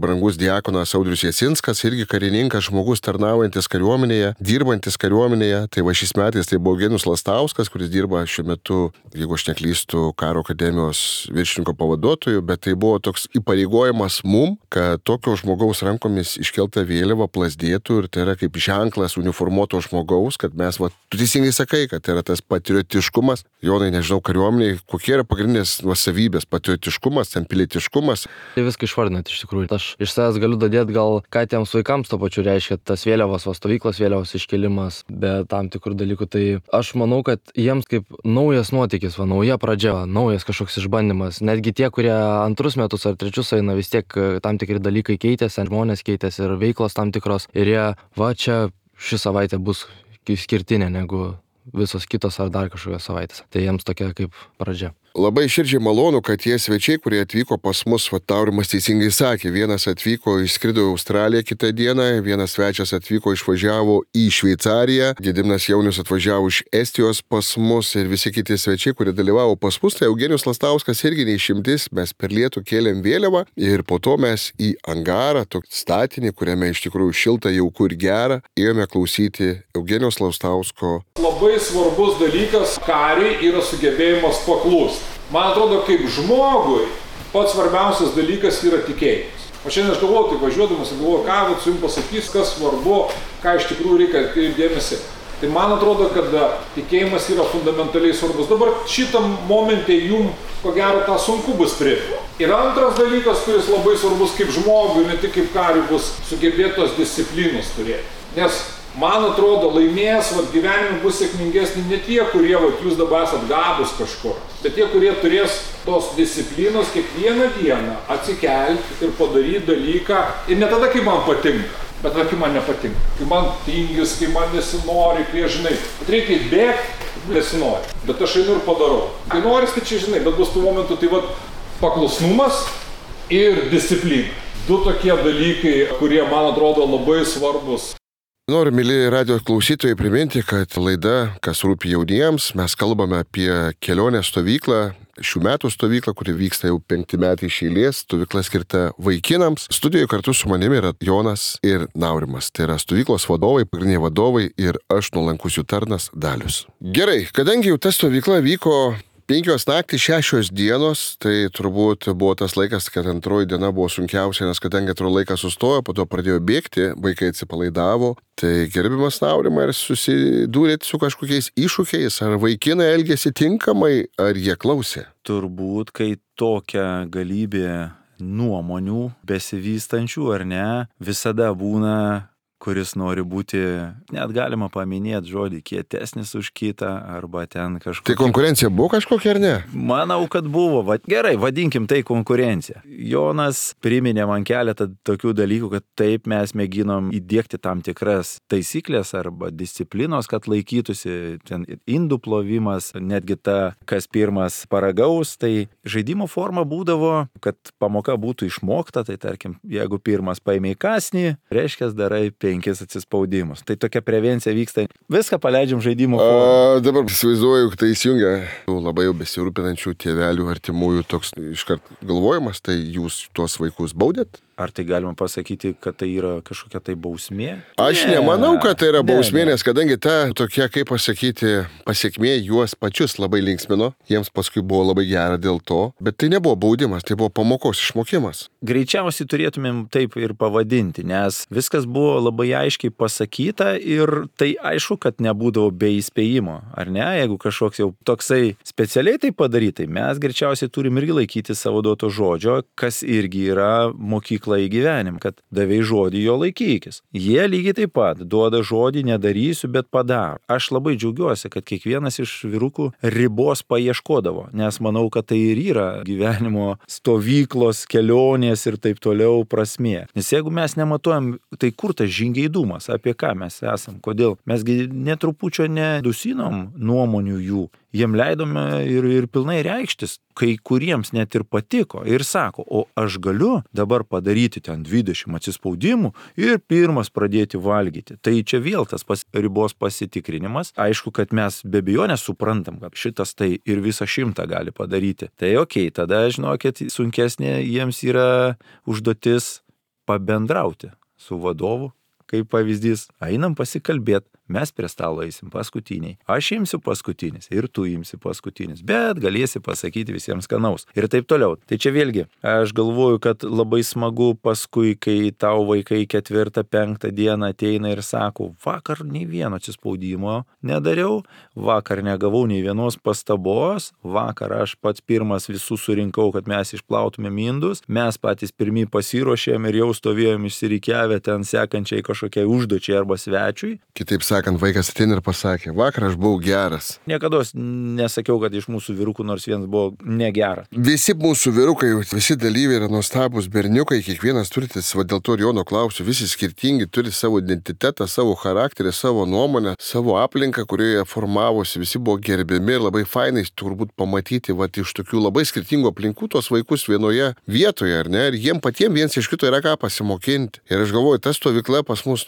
[SPEAKER 1] brangus diakonas Audrius Jasinskas, irgi karininkas, žmogus tarnaujantis kariuomenėje, dirbantis kariuomenėje. Tai va šis metais tai buvo Eugenijus Lastauskas, kuris dirba šiuo metu, jeigu aš neklystu, karo akademijos viršininko pavaduotoju, bet tai buvo toks įpareigojimas mum, kad tokio žmogaus rankomis iškelta vėliava plasdėtų ir tai yra yra kaip ženklas uniformuoto žmogaus, kad mes, tu teisingai sakai, kad yra tas patriotiškumas. Jonai, nežinau, kariuomeniai, kokie yra pagrindinės savybės, patriotiškumas, ten pilietiškumas.
[SPEAKER 3] Tai viską išvardinat iš tikrųjų. Aš iš savęs galiu dadėti gal, ką tiems vaikams to pačiu reiškia tas vėliavos, stovyklos vėliavos iškelimas, be tam tikrų dalykų. Tai aš manau, kad jiems kaip naujas nuotykis, nauja pradžia, naujas kažkoks išbandymas. Netgi tie, kurie antrus metus ar trečius eina, vis tiek tam tikri dalykai keitėsi, žmonės keitėsi ir veiklos tam tikros. Ir jie, čia ši savaitė bus skirtinė negu visos kitos ar dar kažkokios savaitės. Tai jiems tokia kaip pradžia.
[SPEAKER 1] Labai širdžiai malonu, kad tie svečiai, kurie atvyko pas mus, Taurimas teisingai sakė, vienas atvyko, išskrido į Australiją kitą dieną, vienas svečias atvyko, išvažiavo į Šveicariją, Gediminas Jaunius atvažiavo iš Estijos pas mus ir visi kiti svečiai, kurie dalyvavo pas mus, tai Eugenijus Lastauskas irgi neišimtis, mes per lietų kėlėm vėliavą ir po to mes į angarą, tokį statinį, kuriame iš tikrųjų šilta, jauku ir gera, ėjome klausyti Eugenijos Lastausko.
[SPEAKER 4] Labai svarbus dalykas kariai yra sugebėjimas paklūsti. Man atrodo, kaip žmogui pats svarbiausias dalykas yra tikėjimas. O šiandien aš galvoju, tai važiuodamas ir galvoju, ką su jums pasakys, kas svarbu, ką iš tikrųjų reikia atkreipti dėmesį. Tai man atrodo, kad tikėjimas yra fundamentaliai svarbus. Dabar šitam momente jums, ko gero, tą sunku bus priimti. Ir antras dalykas, kuris labai svarbus kaip žmogui, ne tik kaip kariui, bus sugebėti tos disciplinos turėti. Nes man atrodo, laimės, gyvenime bus sėkmingesni ne tie, kurie, jūs dabar esat gabus kažkur, bet tie, kurie turės tos disciplinos kiekvieną dieną atsikelti ir padaryti dalyką. Ir ne tada, kai man patinka, bet kai man nepatinka. Kai man tingis, kai man nesinori, kai žinai, bet reikia bėgti, nesinori. Bet aš einu ir padarau. Kai noris, tai čia žinai, bet bus tų momentų, tai paklusnumas ir disciplina. Du tokie dalykai, kurie man atrodo labai svarbus.
[SPEAKER 1] Noriu, mėly radio klausytojai, priminti, kad laida, kas rūpi jauniems, mes kalbame apie kelionę stovyklą, šių metų stovyklą, kuri vyksta jau 5 metai iš eilės, stovykla skirta vaikinams. Studijoje kartu su manimi yra Jonas ir Naurimas. Tai yra stovyklos vadovai, pagrindiniai vadovai ir aš, nuolankus jų tarnas Dalius. Gerai, kadangi jau ta stovykla vyko 5 naktys, 6 dienos, tai turbūt buvo tas laikas, kad antroji diena buvo sunkiausia, nes kadangi atrodo laikas sustojo, po to pradėjo bėgti, vaikai atsipalaidavo. Tai gerbiamas Naurimai, ar susidūrėt su kažkokiais iššūkiais, ar vaikinai elgėsi tinkamai, ar jie klausė?
[SPEAKER 2] Turbūt, kai tokia galybė nuomonių besivystančių ar ne, visada būna, kuris nori būti, net galima paminėti žodį, kietesnis už kitą, arba ten kažkokia.
[SPEAKER 1] Tai konkurencija buvo kažkokia ar ne?
[SPEAKER 2] Manau, kad buvo. Gerai, vadinkim tai konkurencija. Jonas priminė man keletą tokių dalykų, kad taip mes mėginom įdėkti tam tikras taisyklės arba disciplinos, kad laikytųsi ten indų plovimas, netgi ta, kas pirmas paragaus, tai žaidimo forma būdavo, kad pamoka būtų išmokta, tai tarkim, jeigu pirmas paėmė kąsnį, reiškia darai 5 atsispaudimus. Tai tokia prevencija vyksta. Viską paleidžiam žaidimo formą.
[SPEAKER 1] Dabar įsivaizduoju, tai įsijungia labai jau besirūpinančių tėvelių, artimųjų toks iškart galvojimas, tai jūs tuos vaikus baudėt?
[SPEAKER 2] Ar tai galima pasakyti, kad tai yra kažkokia tai bausmė?
[SPEAKER 1] Aš nemanau, kad tai yra bausmė, nes kadangi ta tokia, kaip pasakyti, pasiekmė juos pačius labai linksmino, jiems paskui buvo labai gera dėl to, bet tai nebuvo baudimas, tai buvo pamokos išmokimas.
[SPEAKER 2] Greičiausiai turėtumėm taip ir pavadinti, nes viskas buvo labai aiškiai pasakyta ir tai aišku, kad nebūdavo be įspėjimo, ar ne? Jeigu kažkoks jau toksai specialiai tai padarytai, mes greičiausiai turim irgi laikyti savo duoto žodžio, kas irgi yra mokykla į gyvenimą, kad davei žodį, jo laikykis. Jie lygiai taip pat duoda žodį, nedarysiu, bet padaro. Aš labai džiaugiuosi, kad kiekvienas iš vyrukų ribos paieškodavo, nes manau, kad tai ir yra gyvenimo stovyklos, kelionės ir taip toliau prasmė. Nes jeigu mes nematuojam, tai kur tas žingeidumas, apie ką mes esam, kodėl? Mesgi netrupučio nedusinom nuomonių jų. Jiem leidome ir pilnai reikštis, kai kuriems net ir patiko ir sako, o aš galiu dabar padaryti ten 20 atsispaudimų ir pirmas pradėti valgyti. Tai čia vėl tas ribos pasitikrinimas. Aišku, kad mes be abejonės suprantam, kad šitas tai ir visą 100 gali padaryti. Tai okei, tada žinokit, sunkesnė jiems yra užduotis pabendrauti su vadovu. Kaip pavyzdys, einam pasikalbėti, mes prie stalo eisim paskutiniai. Aš imsiu paskutinis ir tu imsi paskutinis, bet galėsi pasakyti visiems skanaus. Ir taip toliau. Tai čia vėlgi, aš galvoju, kad labai smagu paskui, kai tau vaikai 4-5 dieną ateina ir sako, vakar nei vieno atsispaudimo nedariau, vakar negavau nei vienos pastabos, vakar aš pats pirmas visus surinkau, kad mes išplautume indus, mes patys pirmi pasiruošėm ir jau stovėjom išsirikiavę ten sekančiai kažkokiai užduočiai arba svečiui.
[SPEAKER 1] Kitaip sakant, vaikas ateina ir pasakė, vakar aš buvau geras.
[SPEAKER 2] Niekados nesakiau, kad iš mūsų vyrukų nors vienas buvo negeras.
[SPEAKER 1] Visi mūsų vyrukai, visi dalyviai yra nuostabus berniukai, kiekvienas turi, dėl to ir Jono klausiu, visi skirtingi, turi savo identitetą, savo charakterį, savo nuomonę, savo aplinką, kurioje formavosi, visi buvo gerbiami ir labai fainai turbūt pamatyti iš tokių labai skirtingų aplinkų tos vaikus vienoje vietoje, ar ne? Ir jiem patiems viens iš kito yra ką pasimokinti. Ir aš galvoju, ta stovykla pas mus,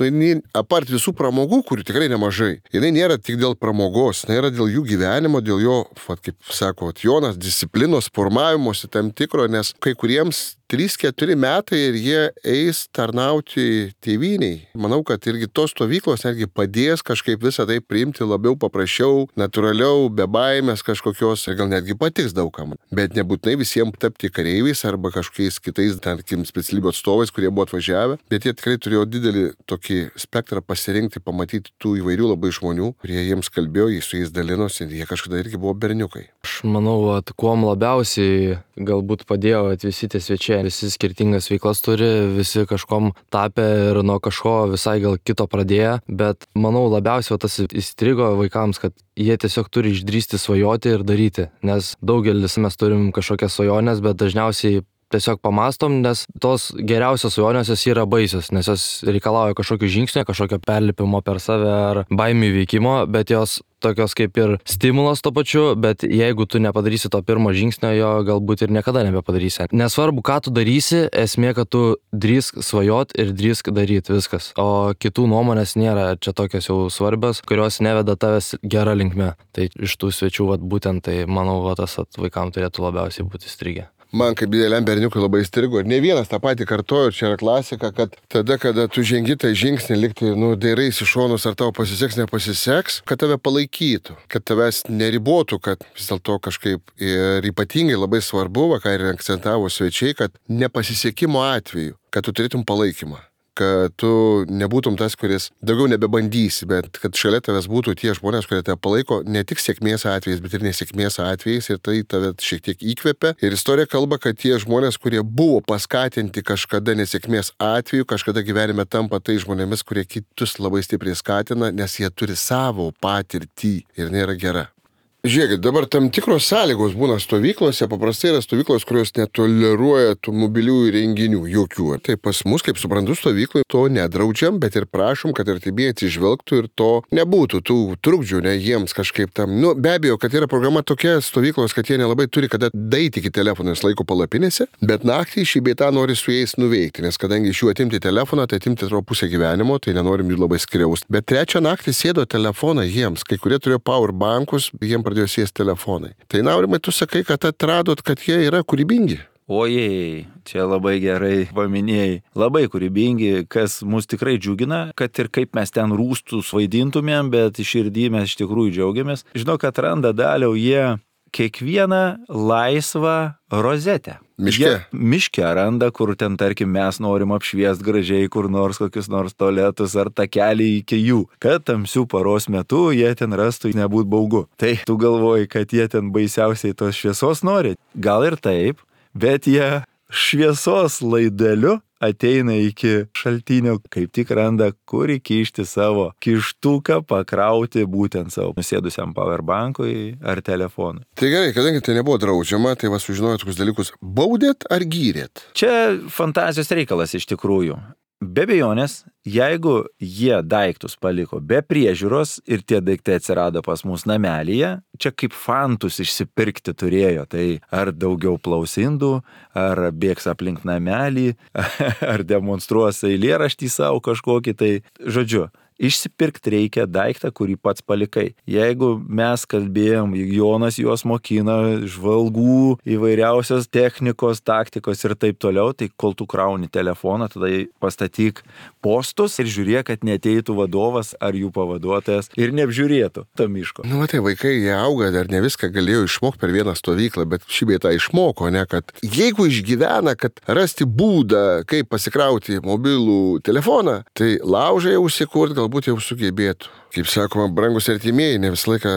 [SPEAKER 1] apart visų pramogų, kurių tikrai nemažai, jinai nėra tik dėl pramogos, jinai yra dėl jų gyvenimo, dėl jo, kaip sako Jonas, disciplinos formavimosi tam tikro, nes kai kuriems 3-4 metai ir jie eis tarnauti tėvyniai. Manau, kad irgi tos stovyklos netgi padės kažkaip visą tai priimti labiau paprasčiau, natūraliau, be baimės kažkokios ir gal netgi patiks daugam. Bet nebūtinai visiems tapti kareiviais arba kažkokiais kitais, tarkim, specialybių atstovais, kurie buvo atvažiavę, bet jie tikrai turėjo didelį tokį spektrą pasirinkti, pamatyti tų įvairių labai žmonių, kurie jiems kalbėjo, jie su jais dalinosi ir jie kažkada irgi buvo berniukai.
[SPEAKER 3] Aš manau, kuom labiausiai galbūt padėjo visi tie svečiai. Visi skirtingas veiklas turi, visi kažkom tapę ir nuo kažko visai gal kito pradėję, bet manau labiausiai tas įstrigo vaikams, kad jie tiesiog turi išdrįsti svajoti ir daryti, nes daugelis mes turim kažkokias svajonės, bet dažniausiai tiesiog pamastom, nes tos geriausios svajonės jos yra baisios, nes jos reikalauja kažkokio žingsnio, kažkokio perlipimo per save ar baimių įveikimo, bet jos tokios kaip ir stimulas to pačiu, bet jeigu tu nepadarysi to pirmo žingsnio, jo galbūt ir niekada nebepadarysi. Nesvarbu, ką tu darysi, esmė, kad tu drįsk svajot ir drįsk daryti viskas. O kitų nuomonės nėra čia tokios jau svarbios, kurios neveda tavęs gera linkme. Tai iš tų svečių būtent tai, manau, tas vaikams turėtų labiausiai būti įstrigę.
[SPEAKER 1] Man kaip dideliam berniukui labai įstrigo ir ne vienas tą patį kartojo, čia yra klasika, kad tada, kada tu žengi tą žingsnį, liktai, dairais iš šonus, ar tau pasiseks, nepasiseks, kad tave palaikytų, kad tavęs neribotų, kad vis dėlto kažkaip ir ypatingai labai svarbu, ką ir akcentavo svečiai, kad nepasisekimo atveju, kad tu turėtum palaikymą. Kad tu nebūtum tas, kuris daugiau nebebandysi, bet kad šalia tavęs būtų tie žmonės, kurie tave palaiko ne tik sėkmės atvejais, bet ir nesėkmės atvejais ir tai tave šiek tiek įkvepia. Ir istorija kalba, kad tie žmonės, kurie buvo paskatinti kažkada nesėkmės atveju, kažkada gyvenime tampa tai žmonėmis, kurie kitus labai stipriai skatina, nes jie turi savo patirtį ir nėra gera. Žiūrėkit, dabar tam tikros sąlygos būna stovyklose, paprastai yra stovyklos, kurios netoleruoja tų mobiliųjų įrenginių, jokių. Tai pas mus, kaip suprantu, stovykloje to nedraudžiam, bet ir prašom, kad artimieji atsižvelgtų ir to nebūtų, tų trukdžių, ne jiems kažkaip tam. Be abejo, kad yra programa tokia stovyklos, kad jie nelabai turi kada daiti iki telefonės laiko palapinėse, bet naktį šį bei tą nori su jais nuveikti, nes kadangi iš jų atimti telefoną, tai atimti atrodo pusę gyvenimo, tai nenorim jų labai skriausti. Bet trečią naktį sėdo telefoną jiems, kai kurie turėjo powerbankus, jiems pradėjo sėsti telefonai. Tai Aurimai, tu sakai, kad atradot, kad jie yra kūrybingi.
[SPEAKER 2] Ojei, čia labai gerai paminėjai. Labai kūrybingi, kas mus tikrai džiugina, kad ir kaip mes ten rūstus vaidintumėm, bet širdį mes iš tikrųjų džiaugiamės. Žinau, kad randa Daliau jie kiekvieną laisvą rozetę. Miške randa, kur ten, tarkim, mes norim apšviest gražiai kur nors kokius nors tualetus ar takelį iki jų, kad tamsių paros metu jie ten rastų nebūt baugu. Tai tu galvoji, kad jie ten baisiausiai tos šviesos nori? Gal ir taip, bet jie šviesos laideliu ateina iki šaltinio, kaip tik randa, kur įkišti savo kištuką, pakrauti būtent savo nusėdusiam powerbankui ar telefonui.
[SPEAKER 1] Tai gerai, kadangi tai nebuvo draudžiama, tai sužinojot tokius dalykus. Baudėt ar gyrėt?
[SPEAKER 2] Čia fantazijos reikalas iš tikrųjų. Be abejonės, jeigu jie daiktus paliko be priežiūros ir tie daiktai atsirado pas mus namelyje, čia kaip fantus išsipirkti turėjo, tai ar daugiau plausindų, ar bėgs aplink namelį, ar demonstruos eilėraštį savo kažkokį, tai žodžiu, Išsipirkti reikia daiktą, kurį pats palikai. Jeigu mes kalbėjom, Jonas juos mokina žvalgų, įvairiausios technikos, taktikos ir taip toliau, tai kol tu krauni telefoną, tada pastatyk postus ir žiūrėk, kad neateitų vadovas ar jų pavaduotojas ir neapžiūrėtų to miško.
[SPEAKER 1] Tai vaikai, jie auga, dar ne viską galėjo išmokti per vieną stovyklą, bet šį bei tą išmoko, ne, kad jeigu išgyvena, kad rasti būdą, kaip pasikrauti mobilų telefoną, tai laužai užsikurti galbūt jau sugebėtų. Kaip sakoma, brangus artimieji, ne visą laiką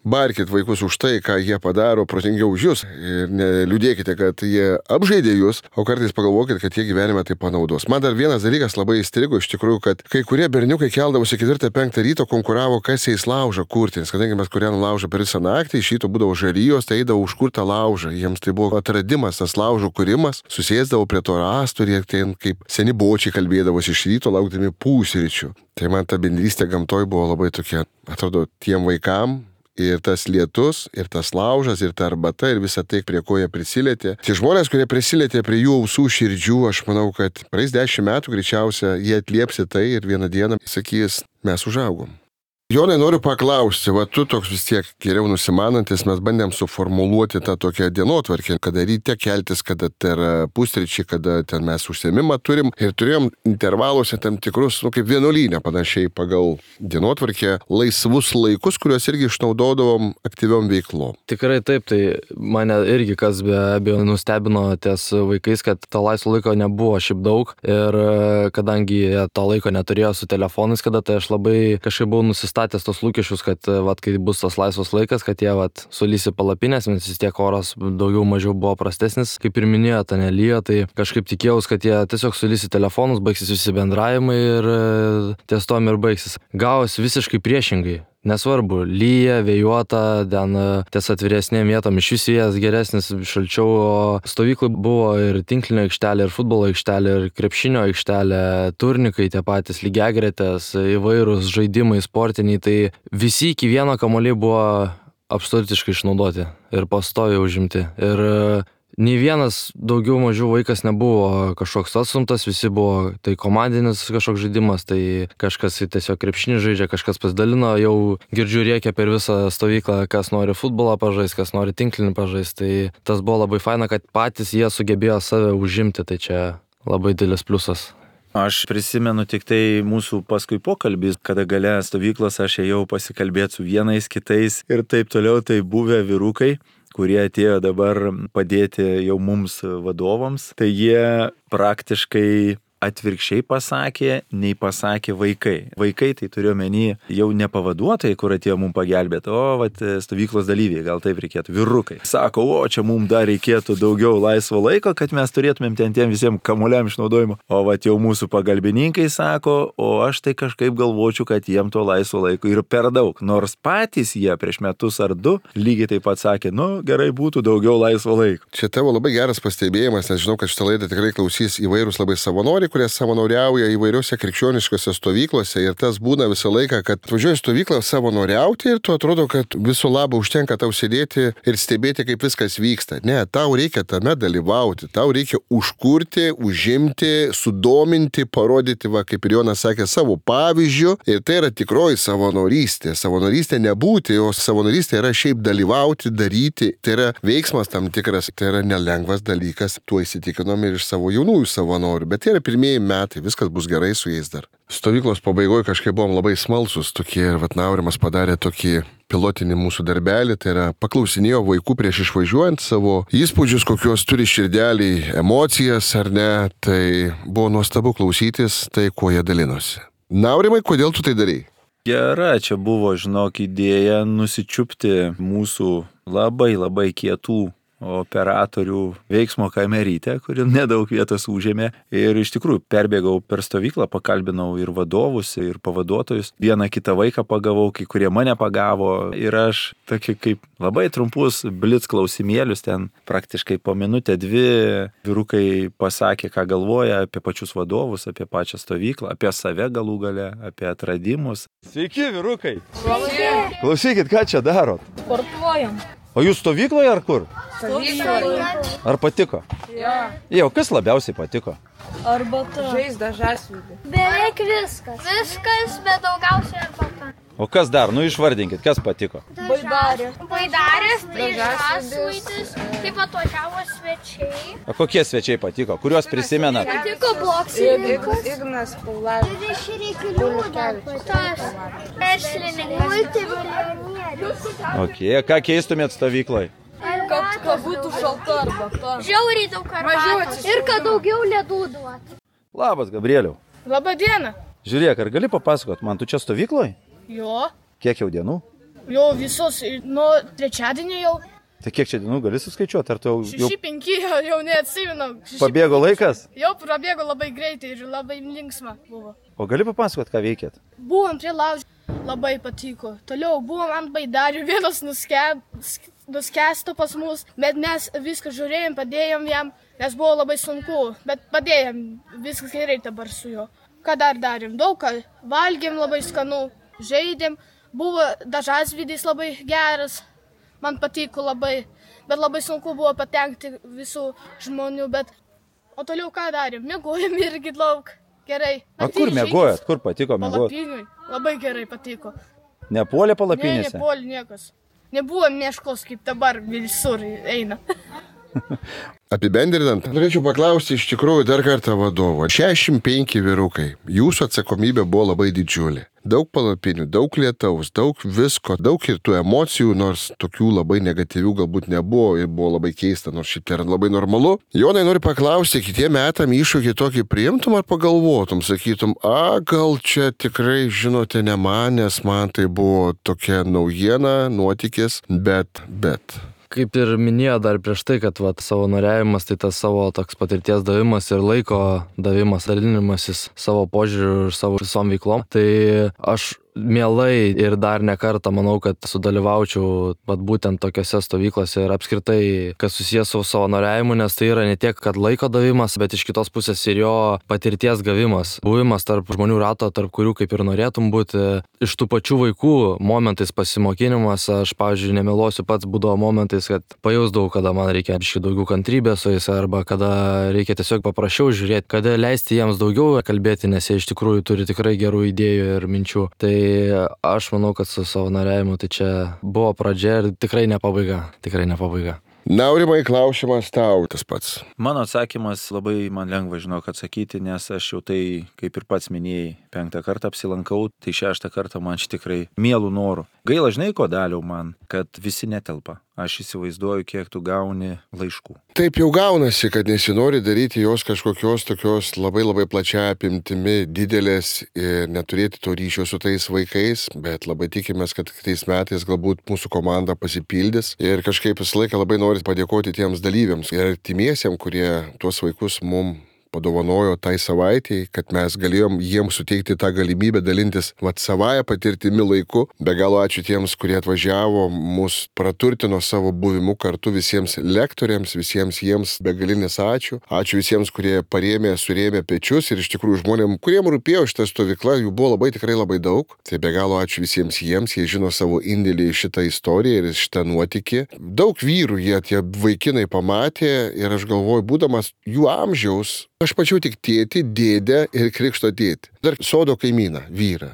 [SPEAKER 1] barkit vaikus už tai, ką jie padaro protingiau už jūs ir neliūdėkite, kad jie apžaidė jūs, o kartais pagalvokit, kad jie gyvenime tai panaudos. Man dar vienas dalykas labai įstrigo iš tikrųjų, kad kai kurie berniukai keldavosi 4-5 ryto, konkuravo, kas eis laužą kurti, nes kadangi mes kūrenom laužą per visą naktį, iš ryto būdavo žarijos, tai eidavo užkurtą laužą. Jiems tai buvo atradimas, tas laužų kūrimas, susėsdavo prie to rąsto ir ten kaip seni bočiai kalbėdavosi iš ryto, laukdami pusryčių. Tai man ta bendrystė gamtoj buvo labai tokia, atrodo, tiem vaikam. Ir tas lietus, ir tas laužas, ir ta arbata, ir visa tai, prie ko jie prisilietė. Tie žmonės, kurie prisilietė prie jų ausų širdžių, aš manau, kad praeis 10 metų greičiausia jie atlieps tai ir vieną dieną sakys, mes užaugom. Jonai, noriu paklausti, va tu toks vis tiek geriau nusimanantis, mes bandėm suformuluoti tą tokią dienotvarkę, kada ryte keltis, kada tai yra pusryčiai, kada ten mes užsiėmimą turim ir turėjom intervaluose tam tikrus, kaip vienuolynę panašiai pagal dienotvarkę, laisvus laikus, kuriuos irgi išnaudodavom aktyviom veiklom.
[SPEAKER 3] Tikrai taip, tai mane irgi kas be abejo nustebino ties vaikais, kad to laisvo laiko nebuvo šiaip daug ir kadangi jie to laiko neturėjo su telefonais, kada tai aš labai kažkaip buvau nusistatęs tos lūkesčius, kad kai bus tas laisvas laikas, kad jie sulys į palapinės, nes vis tiek oras daugiau mažiau buvo prastesnis, kaip ir minėjo, ta nelyja, tai kažkaip tikėjaus, kad jie tiesiog sulys į telefonus, baigsis visi bendravimai ir ties tom ir baigsis. Gavosi visiškai priešingai. Nesvarbu, lyja, vėjuota, ten ties atviresnėm vietom iš vis vėjas geresnis, šalčiau, o stovyklai buvo ir tinklinio aikštelė, ir futbolo aikštelė, ir krepšinio aikštelė, turnikai tie patys, lygiagretės, įvairūs žaidimai sportiniai, tai visi iki vieno kamuoliai buvo absoliutiškai išnaudoti ir pastoviai užimti. Ir nei vienas daugiau mažiau vaikas nebuvo kažkoks atstumtas, visi buvo tai komandinis kažkoks žaidimas, tai kažkas tiesiog krepšinį žaidžia, kažkas pasidalino, jau girdžiu rėkia per visą stovyklą, kas nori futbolą pažaisti, kas nori tinklinį pažaisti, tai tas buvo labai faina, kad patys jie sugebėjo save užimti, tai čia labai didelis pliusas.
[SPEAKER 2] Aš prisimenu tik tai mūsų paskui pokalbį, kada gale stovyklos aš ėjau pasikalbėti su vienais, kitais ir taip toliau, tai buvę vyrukai, kurie atėjo dabar padėti jau mums vadovams, tai jie praktiškai atvirkščiai pasakė, nei pasakė vaikai. Vaikai tai turiu menį jau ne pavaduotojai, kur atėjo mums pagelbėti, o stovyklos dalyviai, gal taip reikėtų, vyrukai. Sako, o čia mums dar reikėtų daugiau laisvo laiko, kad mes turėtumėm ten tiem visiems kamuoliam išnaudojimo. O jau mūsų pagalbininkai sako, o aš tai kažkaip galvočiau, kad jiem to laisvo laiko ir per daug. Nors patys jie prieš metus ar 2 lygiai taip pat sakė, gerai būtų daugiau laisvo laiko.
[SPEAKER 1] Čia tavo labai geras pastebėjimas, nes žinau, kad šitą laidą tikrai klausys įvairūs labai savanoriai, kurie savanoriauja įvairiuose krikščioniškose stovyklose ir tas būna visą laiką, kad važiuoji stovyklą savanoriauti ir tu atrodo, kad viso labo užtenka tau sėdėti ir stebėti, kaip viskas vyksta. Ne, tau reikia tame dalyvauti, tau reikia užkurti, užimti, sudominti, parodyti, kaip ir Jonas sakė, savo pavyzdžių ir tai yra tikroji savanorystė. Savanorystė nebūti, o savanorystė yra šiaip dalyvauti, daryti, tai yra veiksmas tam tikras, tai yra nelengvas dalykas, tuo įsitikinom ir iš savo jaunųjų savanorių, bet tai yra pirmieji metai, viskas bus gerai su jais dar. Stovyklos pabaigoje kažkaip buvom labai smalsus tokie ir Naurimas padarė tokį pilotinį mūsų darbelį, tai yra paklausinėjo vaikų prieš išvažiuojant savo įspūdžius, kokios turi širdeliai, emocijas ar ne, tai buvo nuostabu klausytis tai, kuo jie dalinosi. Naurimai, kodėl tu tai darei?
[SPEAKER 2] Gera, čia buvo, žinok, idėja nusičiupti mūsų labai kietų operatorių veiksmo kamerytę, kuri nedaug vietos užėmė. Ir iš tikrųjų perbėgau per stovyklą, pakalbinau ir vadovus, ir pavaduotojus. Vieną kitą vaiką pagavau, kai kurie mane pagavo. Ir aš tokį kaip labai trumpus blitz klausimėlius, ten praktiškai po minutę 2 vyrukai pasakė, ką galvoja apie pačius vadovus, apie pačią stovyklą, apie save galų gale, apie atradimus. Sveiki, vyrukai! Sveiki! Klausykit, ką čia darot?
[SPEAKER 5] Sportuojam.
[SPEAKER 2] O jūs stovykloje ar kur?
[SPEAKER 5] Stovykloje.
[SPEAKER 2] Ar patiko?
[SPEAKER 5] Jo.
[SPEAKER 2] Jau, kas labiausiai patiko?
[SPEAKER 5] Arbata.
[SPEAKER 6] Žaizda žasvidį.
[SPEAKER 7] Beveik viskas. Viskas, bet daugiausiai arbata.
[SPEAKER 2] O kas dar? Nu išvardinkit, kas patiko.
[SPEAKER 5] Baidarė.
[SPEAKER 7] Baidarės, tai
[SPEAKER 6] Žąsvidis.
[SPEAKER 7] žąsvaitis, taip atvažiavo svečiai.
[SPEAKER 2] O kokie svečiai patiko? Kuriuos prisimenat?
[SPEAKER 7] Patiko boksininkas.
[SPEAKER 6] Ignas Paulavičius.
[SPEAKER 7] Tas verslininkas. Multimilijonierius.
[SPEAKER 2] Ok, ką keistumėt stovyklai?
[SPEAKER 5] Kad būtų šalta arbata.
[SPEAKER 7] Žiauriai daug arbatos. Ir kad daugiau ledų duot.
[SPEAKER 2] Labas, Gabrieliau.
[SPEAKER 8] Labą dieną.
[SPEAKER 2] Žiūrėk, ar gali papasakot, man tu čia stovykloje?
[SPEAKER 8] Jo,
[SPEAKER 2] Kiek jau dienų?
[SPEAKER 8] jau visus, nuo trečiadienio jau.
[SPEAKER 2] Tai kiek čia dienų gali suskaičiuoti? Ar tu jau
[SPEAKER 8] 6-5 jau neatsimenu.
[SPEAKER 2] pabėgo laikas?
[SPEAKER 8] Jau prabėgo labai greitai ir labai linksma buvo.
[SPEAKER 2] O gali papasakot, ką veikėt?
[SPEAKER 8] Buvom prie laužo, labai patiko. Toliau buvom ant baidarių, vienas nuskęsto pas mus, bet mes viską žiūrėjom, padėjom jam, nes buvo labai sunku, bet padėjom, viskas gerai dabar su juo. Ką dar darėm? Daug ką. Valgėm labai skanu, žaidėm, buvo žąsvidis labai geras, man patiko labai, bet labai sunku buvo patenkti visų žmonių, bet... O toliau ką darėm? Miegojom irgi daug. Gerai.
[SPEAKER 2] O kur miegojat? Kur patiko miegoti?
[SPEAKER 8] Palapiniui. Labai gerai patiko.
[SPEAKER 2] Nepuolė
[SPEAKER 8] Ne,
[SPEAKER 2] palapinėse?
[SPEAKER 8] nepuolė niekas. Nebuvo mieškos, kaip dabar visur eina.
[SPEAKER 1] Apibendrinant, norėčiau paklausti iš tikrųjų dar kartą vadovo. 65 vyrukai, jūsų atsakomybė buvo labai didžiulė. Daug palapinių, daug lietaus, daug visko, daug ir tų emocijų, nors tokių labai negatyvių galbūt nebuvo ir buvo labai keista, nors šiaip tai yra labai normalu. Jonai, noriu paklausti, kitiem metam iššūkį tokį priimtum ar pagalvotum, sakytum, gal čia tikrai, žinote, ne man, nes man tai buvo tokia naujiena, nuotykis, bet.
[SPEAKER 3] Kaip ir minėjo dar prieš tai, kad savanoriavimas tai tas savo toks patirties davimas ir laiko davimas, dalinimasis savo požiūriu ir savo visom veiklom. Tai aš mielai ir dar ne kartą manau, kad sudalyvaučiau būtent tokiose stovyklose ir apskritai, kas susijęs su savanoriavimu, nes tai yra ne tiek, kad laiko davimas, bet iš kitos pusės ir jo patirties gavimas. Buvimas tarp žmonių rato, tarp kurių kaip ir norėtum būti. Iš tų pačių vaikų momentais pasimokinimas, aš, pavyzdžiui, nemeluosiu, pats būdavo momentais, kad pajausdavau, kada man reikia biškį daugiau kantrybės su jais, arba kada reikia tiesiog paprašiau žiūrėti, kada leisti jiems daugiau kalbėti, nes jie iš tikrųjų turi tikrai gerų idėjų ir minčių. Tai aš manau, kad su savanoriavimu tai čia buvo pradžia ir tikrai ne pabaiga.
[SPEAKER 1] Naurimai, klausimas tau tas pats.
[SPEAKER 2] Mano atsakymas labai man lengva, žinok, atsakyti, nes aš jau tai, kaip ir pats minėjai, 5 kartą apsilankau, tai 6 kartą man čia tikrai mielų norų. Gaila, žinai, ko daliau man, kad visi netelpa. Aš įsivaizduoju, kiek tu gauni laiškų.
[SPEAKER 1] Taip jau gaunasi, kad nesinori daryti jos kažkokios tokios labai plačia apimtimi didelės ir neturėti to ryšio su tais vaikais, bet labai tikimės, kad kitais metais galbūt mūsų komanda pasipildys ir kažkaip visą laiką labai noriu padėkoti tiems dalyviams ir artimiesiems, kurie tuos vaikus mum padovanojo tai savaitėj, kad mes galėjom jiems suteikti tą galimybę dalintis savąją patirtimi laiku. Be galo ačiū tiems, kurie atvažiavo, mus praturtino savo buvimu kartu, visiems lektoriams, visiems jiems begalinis ačiū. Ačiū visiems, kurie surėmė pečius ir iš tikrųjų žmonėm, kuriem rūpėjo šitą stovyklą, jų buvo tikrai labai daug. Tai be galo ačiū visiems jiems, jie žino savo indėlį į šitą istoriją ir šitą nuotykį. Daug vyrų tie vaikinai pamatė ir aš galvoju, būdamas jų amžiaus, aš pačiau tik tėtį, dėdę ir krikšto tėtį. Dar sodo kaimyną, vyrą.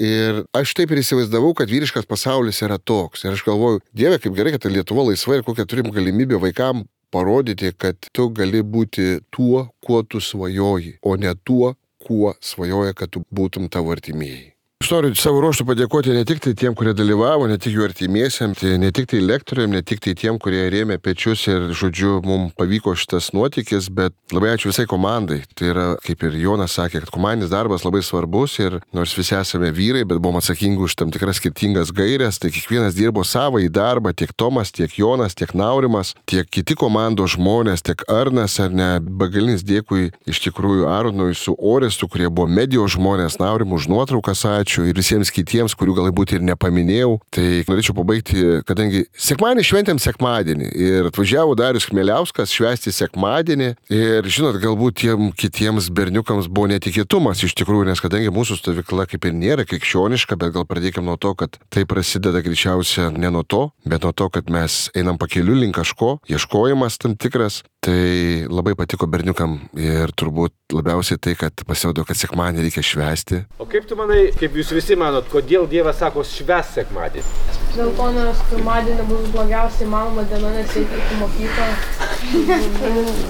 [SPEAKER 1] Ir aš taip ir įsivaizdavau, kad vyriškas pasaulis yra toks. Ir aš galvoju, Dieve, kaip gerai, kad Lietuva laisva ir kokią turim galimybę vaikam parodyti, kad tu gali būti tuo, kuo tu svajoji, o ne tuo, kuo svajoja, kad tu būtum tavo artimieji. Aš noriu savo ruoštų padėkoti ne tik tai tiem, kurie dalyvavo, ne tik jų artimiesiam, ne tik tai lektoriam, ne tik tai tiem, kurie rėmė pečius ir, žodžiu, mums pavyko šitas nuotykis, bet labai ačiū visai komandai. Tai yra, kaip ir Jonas sakė, kad komandinis darbas labai svarbus ir nors visi esame vyrai, bet buvom atsakingi už tam tikras skirtingas gairias, tai kiekvienas dirbo savo į darbą, tiek Tomas, tiek Jonas, tiek Naurimas, tiek kiti komandos žmonės, tiek Arnas, ar ne, begalinis dėkui iš tikrųjų Arnui su Orestu, kurie buvo medijos žmonės, Naurimui už nuotraukas, ačiū. Ir visiems kitiems, kurių galbūt ir nepaminėjau. Tai norėčiau pabaigti, kadangi sekmadienį šventėm sekmadienį ir atvažiavo Darius Chmieliauskas švęsti sekmadienį ir, žinot, galbūt tiem kitiems berniukams buvo netikėtumas iš tikrųjų, nes kadangi mūsų stovykla kaip ir nėra krikščioniška, bet gal pradėkime nuo to, kad tai prasideda greičiausia ne nuo to, bet nuo to, kad mes einam pakeliu link kažko, ieškojimas tam tikras. Tai labai patiko berniukam ir turbūt labiausiai tai, kad pasirodo, kad sekmadienį reikia švęsti.
[SPEAKER 9] O kaip tu manai, kaip jūs visi manot, kodėl Dievas sako švęs sekmadienį?
[SPEAKER 5] Dėl to, nes pirmadienį bus blogiausiai įmanoma diena, nes reikia į mokyklą.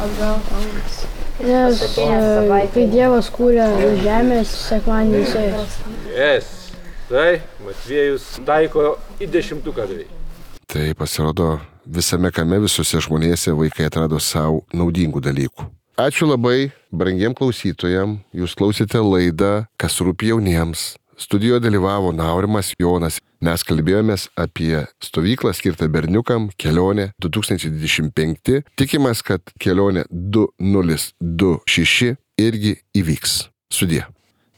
[SPEAKER 5] Atgal.
[SPEAKER 10] Nes kai Dievas kūrė žemės, sekmadienį jisai.
[SPEAKER 9] Tai Matviejus taiko į 10 beveik.
[SPEAKER 1] Tai pasirodo, visame kame, visose žmonėse vaikai atrado savo naudingų dalykų. Ačiū labai brangiem klausytojam, jūs klausėte laidą Kas rūpi jauniems. Studijoje dalyvavo Naurimas Jonas. Mes kalbėjomės apie stovyklą skirtą berniukam, kelionė 2025. Tikimės, kad kelionė 2026 irgi įvyks. Sudie.